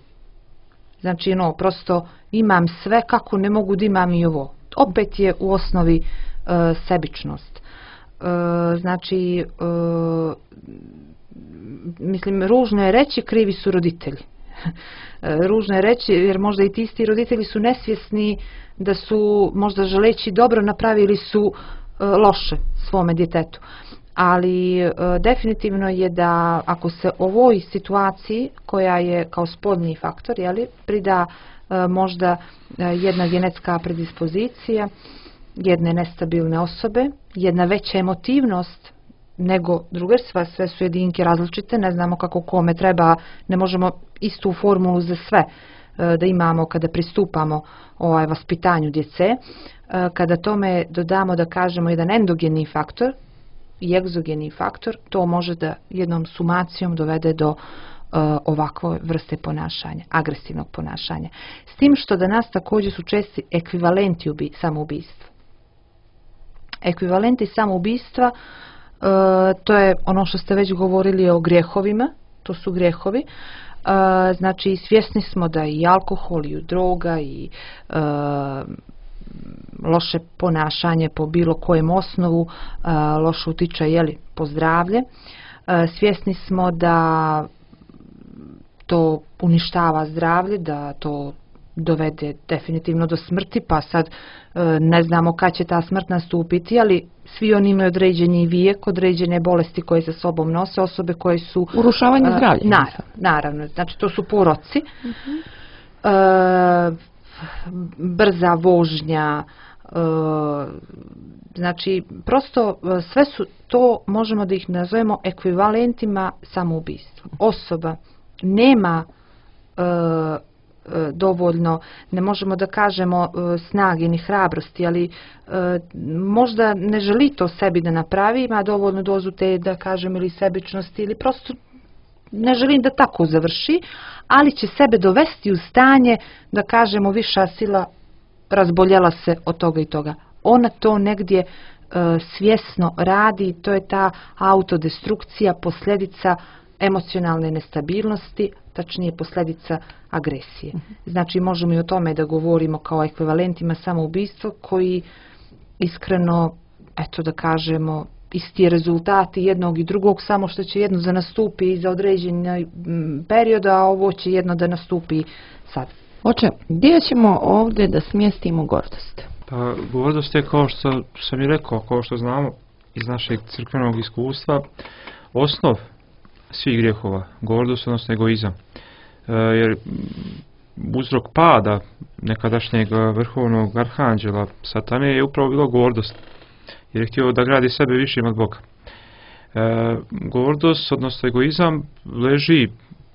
Znači, prosto imam sve, kako ne mogu da imam i ovo. Opet je u osnovi sebičnost. Znači, mislim, ružno je reći, krivi su roditelji. Ružno je reći, jer možda i ti isti roditelji su nesvjesni da su, možda želeći dobro, napravili su loše svome djetetu. Ali definitivno je da ako se ovoj situaciji, koja je kao spoljni faktor, prida možda jedna genetska predispozicija, jedne nestabilne osobe, jedna veća emotivnost nego druge, sve su jedinke različite, ne znamo kako kome treba, ne možemo istu formulu za sve da imamo kada pristupamo vaspitanju djece, kada tome dodamo da kažemo jedan endogeni faktor i egzogeni faktor, to može da jednom sumacijom dovede do ovakve vrste ponašanja, agresivnog ponašanja. S tim što da nas također su česti ekvivalenti samoubistva. Ekvivalenti samoubistva, to je ono što ste već govorili o grijehovima, to su grijehovi. Znači, svjesni smo da i alkohol, i droga, i loše ponašanje po bilo kojem osnovu loše utiče po zdravlje. Svjesni smo da to uništava zdravlje, da to dovede definitivno do smrti, pa sad ne znamo kad će ta smrt nastupiti, ali svi oni imaju određeni vijek, određene bolesti koje sa sobom nose, osobe koje su... Urušavanje zdravlja. Naravno, znači to su poroci. Brza vožnja, znači prosto sve su to, možemo da ih nazovemo ekvivalentima samoubistva. Osoba nema dovoljno, ne možemo da kažemo snage ni hrabrosti, ali možda ne želi to sebi da napravi, ima dovoljnu dozu te, da kažem, ili sebičnosti, ili prosto ne želim da tako završi, ali će sebe dovesti u stanje da kažemo viša sila razboljela se od toga i toga. Ona to negdje svjesno radi, to je ta autodestrukcija, posljedica emocionalne nestabilnosti, tačnije posljedica agresije. Znači možemo i o tome da govorimo kao ekvivalentima samoubistva koji iskreno, eto da kažemo, isti rezultati jednog i drugog, samo što će jedno da nastupi za određeni period, a ovo će jedno da nastupi sad. Oče, gdje ćemo ovdje da smjestimo gordost? Pa gordost je, kao što sam i rekao, kao što znamo iz našeg crkvenog iskustva, osnov svih grijehova, gordost, odnosno egoizam. Jer uzrok pada nekadašnjeg vrhovnog arhanđela Satane je upravo bilo gordost, jer je htio da gradi sebe višim od Boga. Gordost, odnosno egoizam, leži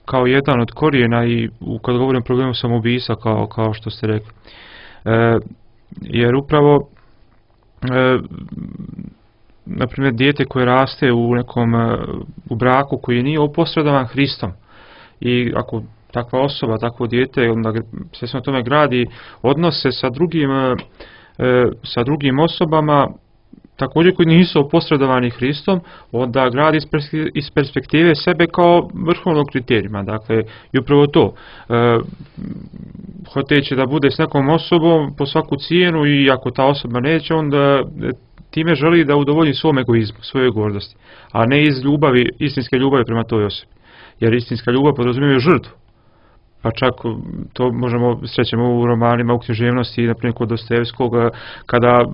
kao jedan od korijena i kad govorim o problemu samoubistva, kao što ste rekli. Jer upravo na primjer dijete koje raste u braku koji nije oposredovan Hristom, i ako takva osoba, takvo dijete, onda se na tome gradi odnose sa drugim osobama također koji nisu oposredovani Hristom, onda gradi iz perspektive sebe kao vrhovnog kriterijuma. Dakle, i upravo to, hoteći da bude s nekom osobom po svaku cijenu, i ako ta osoba neće, onda time želi da udovolji svom egoizmu, svojoj gordosti, a ne iz ljubavi, istinske ljubavi prema toj osobi. Jer istinska ljubav podrazumijeva žrtvu. Pa čak to srećemo u romanima, u književnosti, na primjer kod Dostojevskog, kada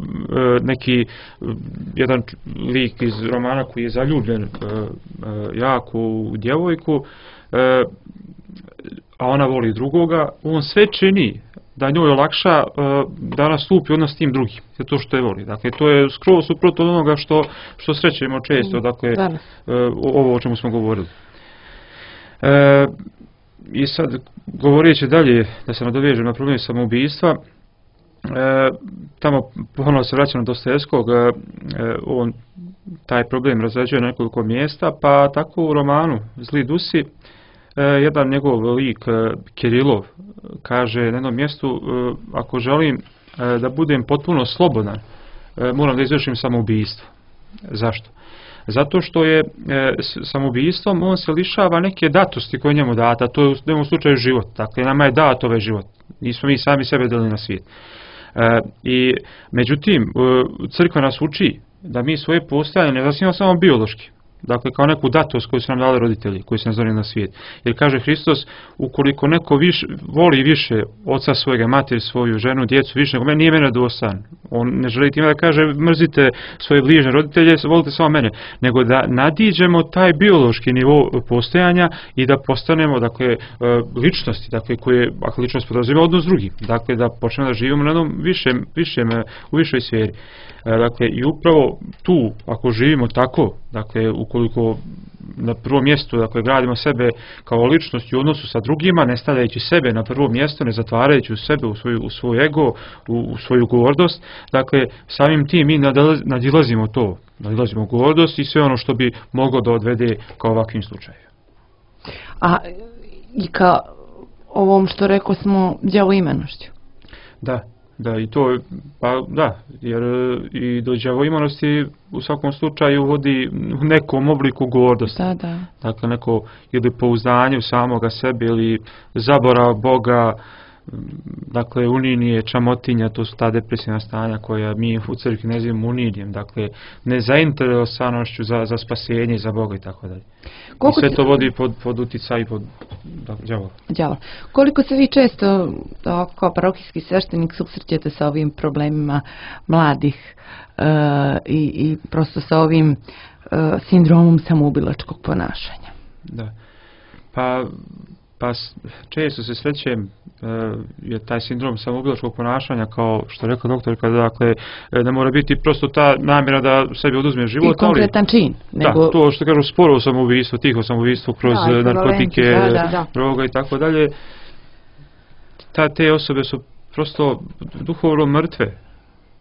jedan lik iz romana koji je zaljubljen jako u djevojku, a ona voli drugoga, on sve čini da njoj olakša da nastupi odnos s tim drugim, to što je voli. Dakle, to je skroz suprotno od onoga što srećemo često, dakle, ovo o čemu smo govorili. I sad, govoreći dalje, da se nadovežem na problem samoubistva, tamo ponovno se vraćam na Dostojevskog, on taj problem razrađuje na nekoliko mjesta, pa tako u romanu Zli dusi, jedan njegov lik, Kirilov, kaže na jednom mjestu, ako želim da budem potpuno slobodan, moram da izvršim samoubistvo. Zašto? Zato što je samoubistvom on se lišava neke datosti koje njemu data, to je u jednom slučaju život. Dakle, nama je dat ovaj život. Nismo mi sami sebe dali na svijet. Međutim, crkva nas uči da mi svoje postojanje ne zasnivamo samo biološki. Dakle, kao neku datost koju su nam dali roditelji, koji su nas donijeli na svijet. Jer kaže Hristos, ukoliko neko voli više oca svojega, materi svoju, ženu, djecu, više nego mene, nije mene dostojan. On ne želi time da kaže mrzite svoje bližnje roditelje, volite samo mene, nego da nadiđemo taj biološki nivo postojanja i da postanemo, dakle, ličnosti, dakle, koje, ako ličnost podrazumijeva odnos s drugim, dakle, da počnemo da živimo na jednom u višoj sferi. Dakle, i upravo tu, ako živimo tako, dakle, u ukoliko na prvom mjestu, dakle, gradimo sebe kao ličnost u odnosu sa drugima, ne stavljajući sebe na prvo mjesto, ne zatvarajući u sebe, u svoj ego, u svoju gordost, dakle, samim tim mi nadilazimo to, nadilazimo gordost i sve ono što bi moglo da odvede kao ovakvim slučajevima. A i ka ovom što rekao smo đavoimanošću. Da, i to, pa da, jer i do đavoimanosti u svakom slučaju vodi u nekom obliku gordosti. Da. Dakle, neko ili pouzdanje u samoga sebe ili zaborav Boga, dakle, uninije, čamotinja, to su ta depresivna stanja koja mi u crkvi nazivamo uninjem, dakle, nezainteresanošću za spasenje i za Boga i tako dalje. I sve to vodi pod uticaj pod đavola. Koliko se vi često kao parohijski sveštenik susrećete sa ovim problemima mladih i prosto sa ovim sindromom samoubilačkog ponašanja? Da, pa često se srećem je taj sindrom samoubilačkog ponašanja, kao što je rekla doktorka, dakle, ne mora biti prosto ta namjera da sebi oduzme život. I konkretan čin. Da, to što kažu sporo samoubistvo, tiho samoubistvo kroz narkotike, droga i tako dalje. Te osobe su prosto duhovno mrtve.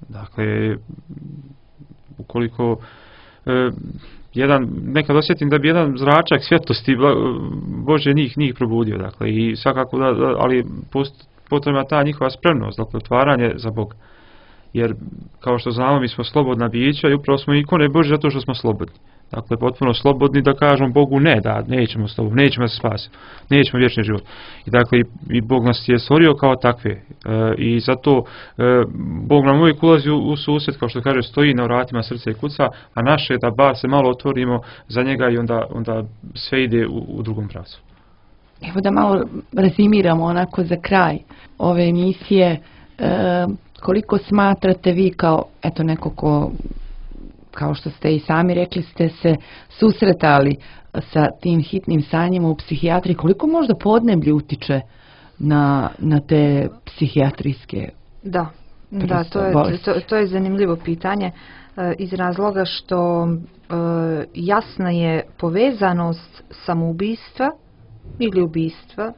Dakle, ukoliko nekad osjetim da bi jedan zračak svjetlosti Bože njih probudio, dakle, i svakako ali potrebna ta njihova spremnost, dakle, otvaranje za Boga. Jer, kao što znamo, mi smo slobodna bića i upravo smo ikone Bože zato što smo slobodni. Dakle, potpuno slobodni da kažemo Bogu ne, da nećemo slobodno, nećemo se spasiti, nećemo vječni život. I dakle, i Bog nas je stvorio kao takve. I zato Bog nam uvijek ulazi u susret, kao što kaže, stoji na vratima srca i kuca, a naše je da bar se malo otvorimo za njega i onda sve ide u drugom pravcu. Evo da malo rezimiramo onako za kraj ove emisije. Koliko smatrate vi kao, eto, neko ko, kao što ste i sami rekli, ste se susretali sa tim hitnim stanjima u psihijatriji, koliko možda podneblje utiče na te psihijatrijske to je zanimljivo pitanje iz razloga što jasna je povezanost samoubistva ili ubistva.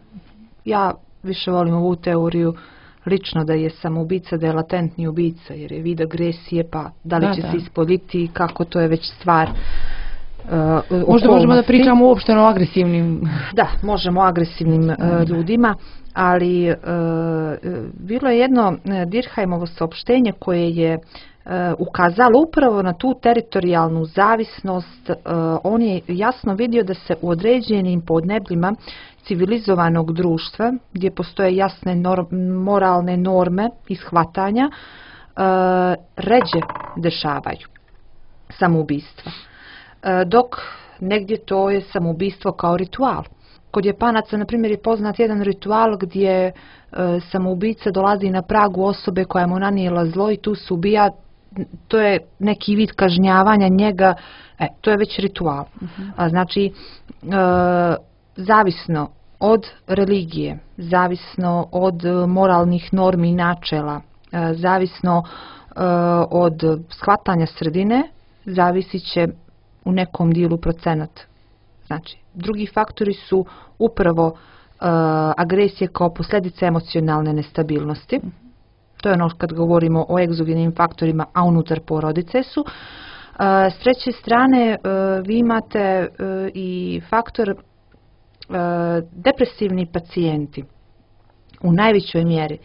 Ja više volim ovu teoriju lično da je samoubica, da je latentni ubica, jer je vid agresije, pa da li će se ispoljiti, kako, to je već stvar možda možemo da pričamo uopšte o agresivnim. Da, možemo o agresivnim ljudima, ali bilo je jedno Dirkheimovo saopštenje koje je ukazalo upravo na tu teritorijalnu zavisnost. On je jasno vidio da se u određenim podnebljima civilizovanog društva, gdje postoje jasne moralne norme i shvatanja, ređe dešavaju samoubistva. Dok negdje to je samoubistvo kao ritual. Kod Japanaca, na primjer, je poznat jedan ritual gdje samoubica dolazi na pragu osobe koja mu nanijela zlo i tu se ubija. To je neki vid kažnjavanja njega, to je već ritual. Znači, zavisno od religije, zavisno od moralnih normi i načela, zavisno od shvatanja sredine, zavisit će u nekom dijelu procenat. Znači, drugi faktori su upravo agresije kao posljedica emocionalne nestabilnosti. To je ono kad govorimo o egzogenim faktorima, a unutar porodice su. S treće strane, vi imate i faktor depresivni pacijenti u najvećoj mjeri,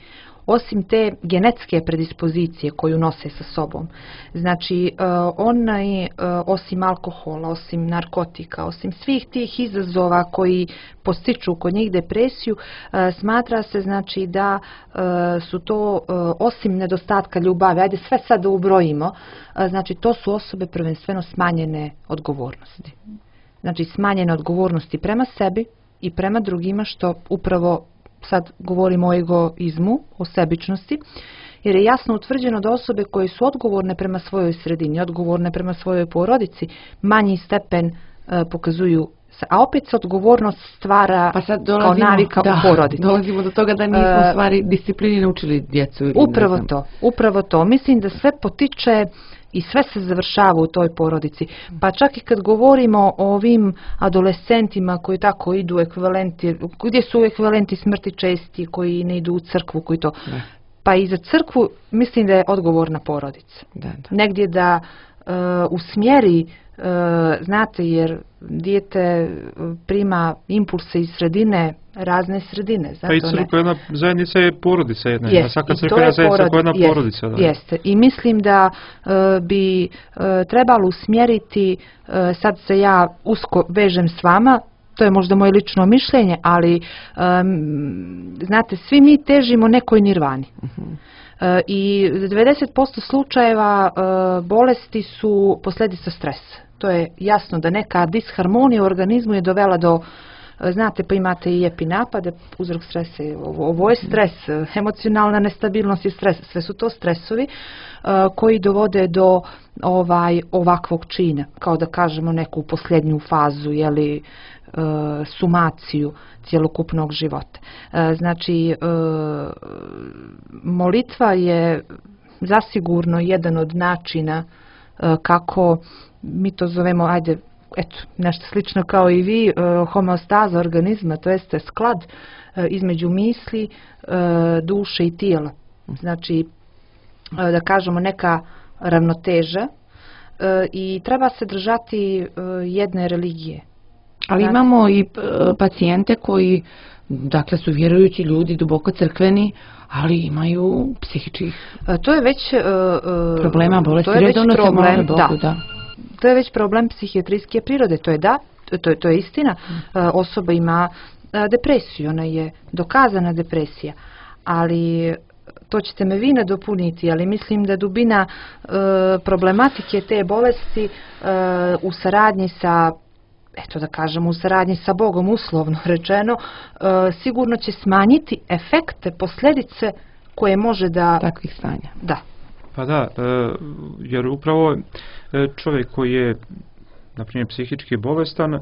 osim te genetske predispozicije koju nose sa sobom. Znači, oni, osim alkohola, osim narkotika, osim svih tih izazova koji postiču kod njih depresiju, smatra se, znači, da su to, osim nedostatka ljubavi, ajde sve sad da ubrojimo, znači to su osobe prvenstveno smanjene odgovornosti. Znači, smanjene odgovornosti prema sebi i prema drugima, što upravo sad govorimo o egoizmu, o sebičnosti, jer je jasno utvrđeno da osobe koje su odgovorne prema svojoj sredini, odgovorne prema svojoj porodici, manji stepen pokazuju, a opet se odgovornost stvara kao navika u porodici. Dolazimo do toga da nismo u stvari disciplini naučili djecu. Upravo to. Mislim da sve potiče I sve se završava u toj porodici. Pa čak i kad govorimo o ovim adolescentima koji tako idu ekvivalenti, gdje su ekvivalenti smrti česti, koji ne idu u crkvu, koji to... Da. Pa i za crkvu mislim da je odgovorna porodica. Da. Negdje da usmjeri, znate, jer dijete prima impulse iz sredine, razne sredine. Zato Pa i crkva jedna zajednica je porodica jedna. Jest, Svaka i to crkva je je zajednica koja je jedna jest, porodica. Da. Jeste. I mislim da bi trebalo usmjeriti, sad se ja usko vežem s vama, to je možda moje lično mišljenje, ali znate, svi mi težimo nekoj nirvani. I 90% slučajeva bolesti su posljedica stresa. To je jasno da neka disharmonija u organizmu je dovela do, znate, pa imate i epinapade, uzrok stresa, ovo je stres, emocionalna nestabilnost je stres, sve su to stresovi koji dovode do ovakvog čina, kao da kažemo neku posljednju fazu, jeli, sumaciju cjelokupnog života. Znači, molitva je zasigurno jedan od načina kako mi to zovemo, ajde, eto, nešto slično kao i vi, homeostaza organizma, to jeste sklad između misli, duše i tijela. Znači, da kažemo, neka ravnoteža i treba se držati jedne religije. Ali imamo i pacijente koji, dakle, su vjerujući ljudi, duboko crkveni, ali imaju psihičkih to je već problema, bolesti. To je već problem, da. To je već problem psihijatrijske prirode, to je to je istina. Osoba ima depresiju, ona je dokazana depresija, ali to ćete me vi nadopuniti, ali mislim da dubina problematike te bolesti u saradnji sa, eto da kažemo, u saradnji sa Bogom, uslovno rečeno, sigurno će smanjiti efekte, posljedice koje može da... Takvih stanja. Da. Pa da, jer upravo čovjek koji je, na primjer, psihički bolestan,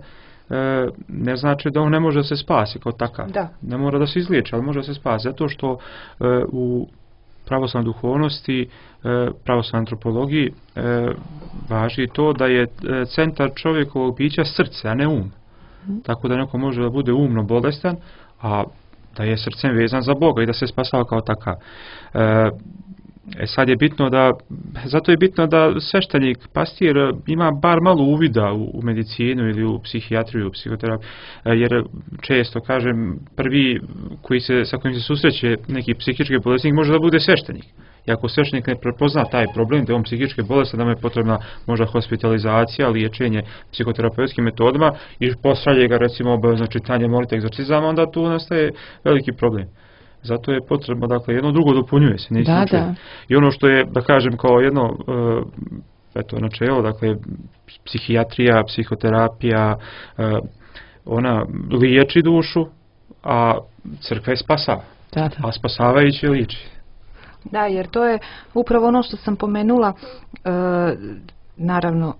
ne znači da on ne može da se spasi kao takav. Da. Ne mora da se izliječi, ali može da se spasi. Zato što u pravoslavnoj duhovnosti, pravoslavnoj antropologiji važi to da je centar čovjekovog bića srce, a ne um. Tako da neko može da bude umno bolestan, a da je srcem vezan za Boga i da se spasava kao takav. Sad je bitno da, zato je bitno da sveštenik, pastir ima bar malo uvida u medicinu ili u psihijatriju, u psihoterapiju, jer često, kažem, prvi sa kojim se susreće neki psihički bolesnik može da bude sveštenik. I ako sveštenik ne prepozna taj problem, da je on psihički bolestan, da mu je potrebna možda hospitalizacija, liječenje psihoterapeutskim metodama i pošalje ga, recimo, obavezno čitanje molitve, egzorcizama, onda tu nastaje veliki problem. Zato je potrebno, dakle, jedno drugo dopunjuje se. Da. I ono što je, da kažem, kao jedno načelo, dakle, psihijatrija, psihoterapija, ona liječi dušu, a crkva je spasava. Da. A spasavajući liječi. Da, jer to je upravo ono što sam pomenula. Naravno,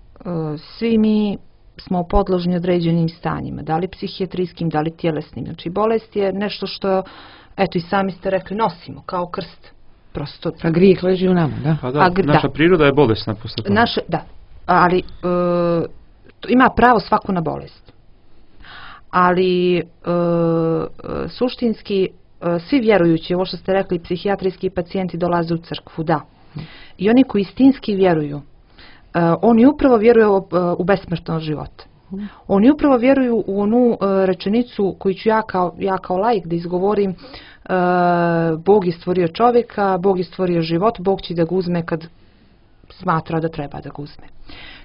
svi mi smo podložni određenim stanjima, da li psihijatrijskim, da li tjelesnim. Znači, bolest je nešto što, eto, i sami ste rekli, nosimo kao krst. Prosto. A grijeh leži u nama, da? Pa da, naša priroda je bolesna posle toga. Da, ali ima pravo svako na bolest. Ali suštinski svi vjerujući, ovo što ste rekli, psihijatrijski pacijenti dolaze u crkvu, da. I oni koji istinski vjeruju, oni upravo vjeruju u besmrtnost života. Oni upravo vjeruju u onu rečenicu koju ću ja kao laik da izgovorim: Bog je stvorio čovjeka, Bog je stvorio život, Bog će da ga uzme kad smatra da treba da ga uzme.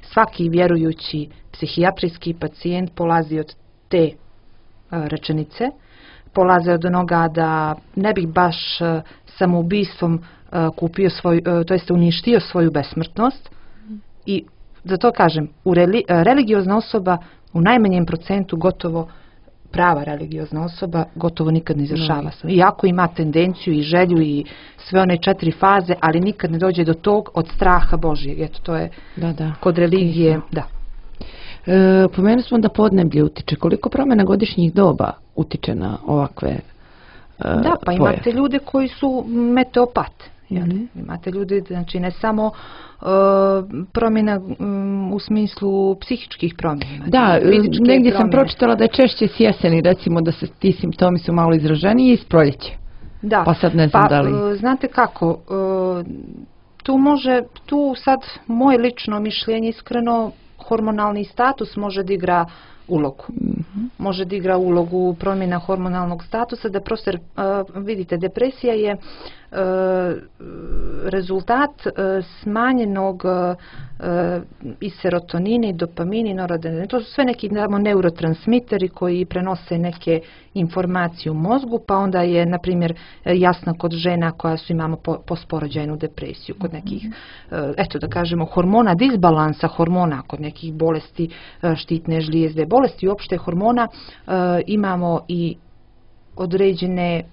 Svaki vjerujući psihijatrijski pacijent polazi od te rečenice, polaze od onoga da ne bih baš samoubistvom kupio to jest uništio svoju besmrtnost. I zato kažem, religiozna osoba u najmanjem procentu, gotovo prava religiozna osoba, gotovo nikad ne izvršava. Iako ima tendenciju i želju i sve one 4 faze, ali nikad ne dođe do tog od straha Božjeg. Eto, to je kod religije, da. Pomenuli smo da podneblje utiče. Koliko promjena godišnjih doba utiče na ovakve Da, pa imate ljude koji su meteopate. Imate ljudi, znači ne samo promjena u smislu psihičkih promjena. Da, negdje sam pročitala da je češće s jeseni, recimo da se ti simptomi su malo izraženiji i s proljeće. Da, pa sad ne znam da li... Znate kako, tu sad moje lično mišljenje iskreno, hormonalni status može da igra ulogu. Može da igra ulogu promjena hormonalnog statusa, da prosto vidite, depresija je rezultat smanjenog i serotonina i dopamina i noradrenalina. To su sve neki neurotransmiteri koji prenose neke informacije u mozgu, pa onda je, na primjer, jasno kod žena koja imamo postporođajnu depresiju, kod nekih, eto da kažemo, hormona, disbalansa hormona, kod nekih bolesti štitne žlijezde, bolesti uopšte hormona, imamo i određene,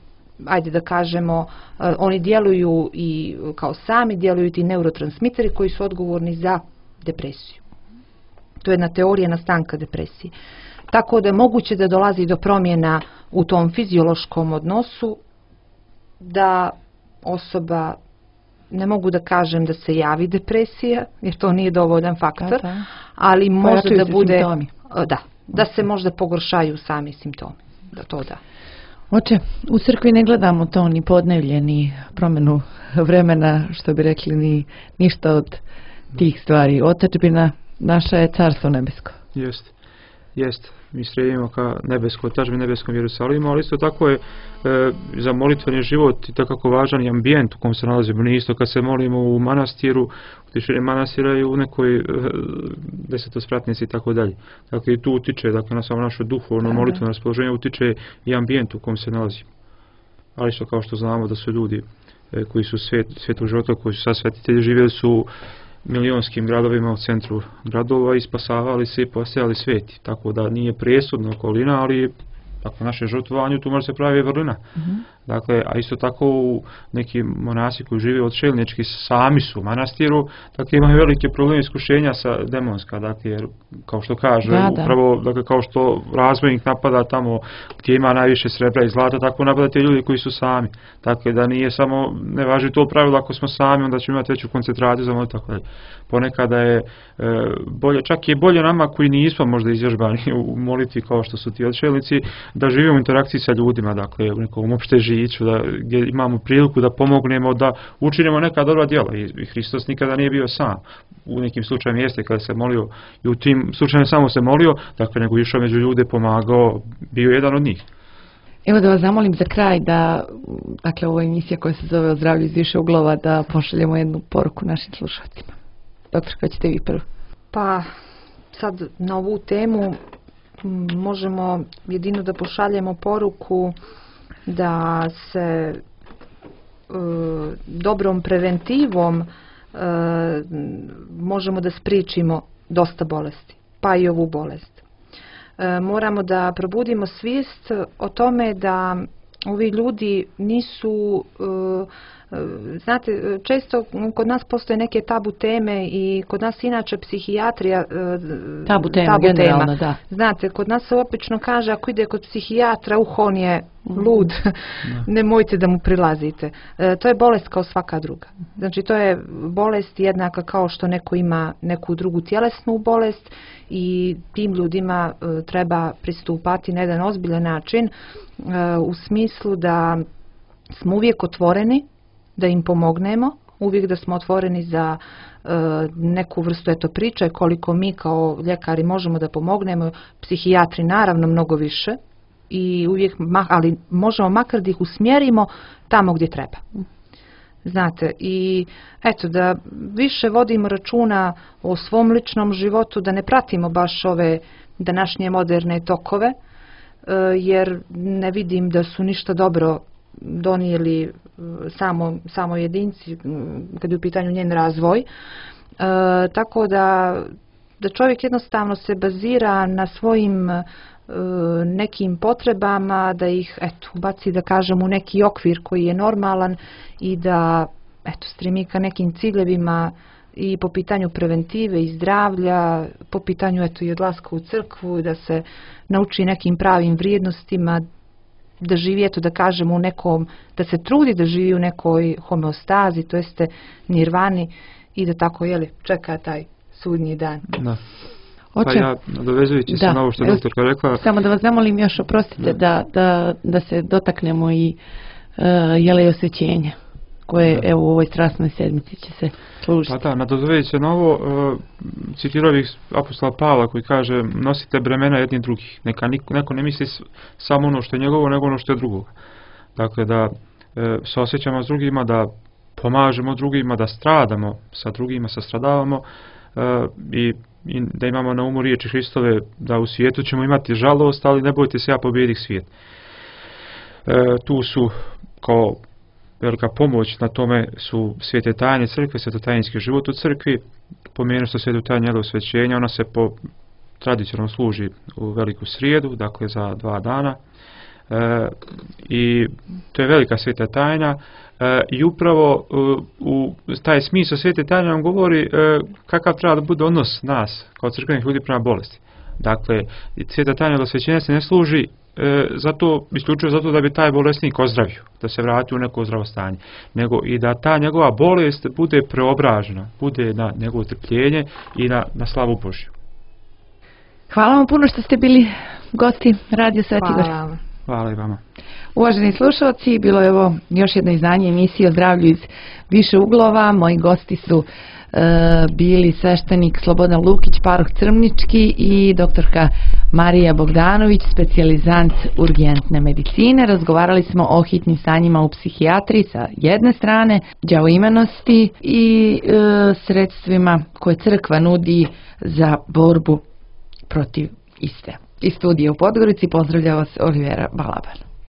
ajde da kažemo, oni djeluju i kao sami djeluju ti neurotransmiteri koji su odgovorni za depresiju. To je jedna teorija nastanka depresije. Tako da je moguće da dolazi do promjena u tom fiziološkom odnosu, da osoba, ne mogu da kažem da se javi depresija, jer to nije dovoljan faktor, ali može da bude, da se možda pogoršaju sami simptomi. Da. Oče, u crkvi ne gledamo to ni podnevlje, ni promjenu vremena, što bi rekli, ni ništa od tih stvari. Otadžbina naša je carstvo nebesko. Jest. Mi stremimo ka nebeskoj otadžbini, nebeskom Jerusalimu, ali isto tako je za molitveni život i tako važan i ambijent u kom se nalazimo. Nije isto kad se molimo u manastiru, u tišini manastira i u nekoj desetospratnici i tako dalje. Dakle, i tu utiče, dakle, na samo naše duhovno molitveno raspoloženje utiče i ambijent u kom se nalazimo. Ali isto kao što znamo da su ljudi koji su svetog života, koji su sad svetitelji, živjeli su milionskim gradovima u centru gradova i spasavali se i postajali sveti. Tako da nije presudna okolina, ali ako naše žrtvovanju tu može se pravi vrlina. Dakle, a isto tako u neki monasi koji žive odšeljnički sami su u manastiru, dakle imaju velike probleme iskušenja sa demonska, dakle, jer kao što kaže, upravo, dakle, kao što razvojnik napada tamo gdje ima najviše srebra i zlata, tako napada te ljudi koji su sami. Dakle, da nije samo, ne važi to pravilo, ako smo sami, onda ćemo imati veću koncentraciju za molitvu, tako dalje. Ponekada je bolje, čak je bolje nama koji nismo možda izvježbani u molitvi kao što su ti odšeljnici, da živimo u interakciji sa ljudima, dakle, u nekom opšte žiću, gdje imamo priliku da pomognemo, da učinimo neka dobra djela. I Hristos nikada nije bio sam. U nekim slučajima jeste kada se molio i u tim slučajima samo se molio, dakle, nego išao među ljude, pomagao, bio jedan od njih. Evo da vas zamolim za kraj da, dakle, ovo je emisija koja se zove O zdravlju iz više uglova, da pošaljemo jednu poruku našim slušateljima. Doktor, kada ćete vi prvo? Pa, sad na ovu temu možemo jedino da pošaljemo poruku da se dobrom preventivom možemo da spriječimo dosta bolesti, pa i ovu bolest. Moramo da probudimo svijest o tome da ovi ljudi nisu, znate, često kod nas postoje neke tabu teme i kod nas inače psihijatrija tabu tema. Da. Znate, kod nas se opično kaže ako ide kod psihijatra, on je lud, nemojte da mu prilazite. To je bolest kao svaka druga. Znači, to je bolest jednaka kao što neko ima neku drugu tjelesnu bolest i tim ljudima treba pristupati na jedan ozbiljan način u smislu da smo uvijek otvoreni, da im pomognemo, uvijek da smo otvoreni za neku vrstu priče koliko mi kao ljekari možemo da pomognemo, psihijatri naravno mnogo više, i uvijek, ali možemo makar da ih usmjerimo tamo gdje treba. Znate, i eto, da više vodimo računa o svom ličnom životu, da ne pratimo baš ove današnje moderne tokove, jer ne vidim da su ništa dobro donijeli samo jedinci kad je u pitanju njen razvoj. Tako da čovjek jednostavno se bazira na svojim nekim potrebama, da ih ubaci, da kažem, u neki okvir koji je normalan i da stremi ka nekim ciljevima i po pitanju preventive i zdravlja, po pitanju i odlaska u crkvu, da se nauči nekim pravim vrijednostima, da živi, eto da kažemo, u nekom, da se trudi da živi u nekoj homeostazi, to jeste nirvani i da tako, čeka taj sudnji dan. Da. Pa ja, nadovezujući se na ovo što je doktorka rekla... Samo da vas zamolim još, oprostite, da se dotaknemo i osvećenja, koje evo u ovoj strasnoj sedmici će se služiti. Pa da, nadovezujući se na ovo, citirao bih apostola Pavla koji kaže: nosite bremena jedni drugih, neka neko ne misli samo ono što je njegovo, nego ono što je drugoga. Dakle, da se osjećamo s drugima, da pomažemo drugima, da stradamo sa drugima, sastradavamo i da imamo na umu riječi Hristove da u svijetu ćemo imati žalost, ali ne bojte se, ja pobijedih svijet. Tu su kao velika pomoć na tome su svete tajne crkve, svetotajinski život u crkvi. Pomenuo što svetu tajne osvećenja, ona se tradicionalno služi u veliku srijedu, dakle za 2 dana. I to je velika sveta tajna i upravo u taj smisao svete tajne nam govori kakav treba da bude odnos nas kao crkvenih ljudi prema bolesti. Dakle, sveta tajna osvećenja se ne služi isključivo zato da bi taj bolesnik ozdravio, da se vrati u neko zdravo stanje, nego i da ta njegova bolest bude preobražena, bude na njegovo trpljenje i na slavu Božju. Hvala vam puno što ste bili gosti Radio Sveti Gora. Hvala i vama. Uvaženi slušalci, bilo je ovo još jedno izdanje emisije o zdravlju iz više uglova. Moji gosti su bili sveštenik Slobodan Lukić, paroh Crmnički, i doktorka Marija Bogdanović, specijalizant urgentne medicine. Razgovarali smo o hitnim stanjima u psihijatriji sa jedne strane, đavoimenosti i sredstvima koje crkva nudi za borbu protiv iste. Iz studija u Podgorici pozdravlja vas Olivera Balaban.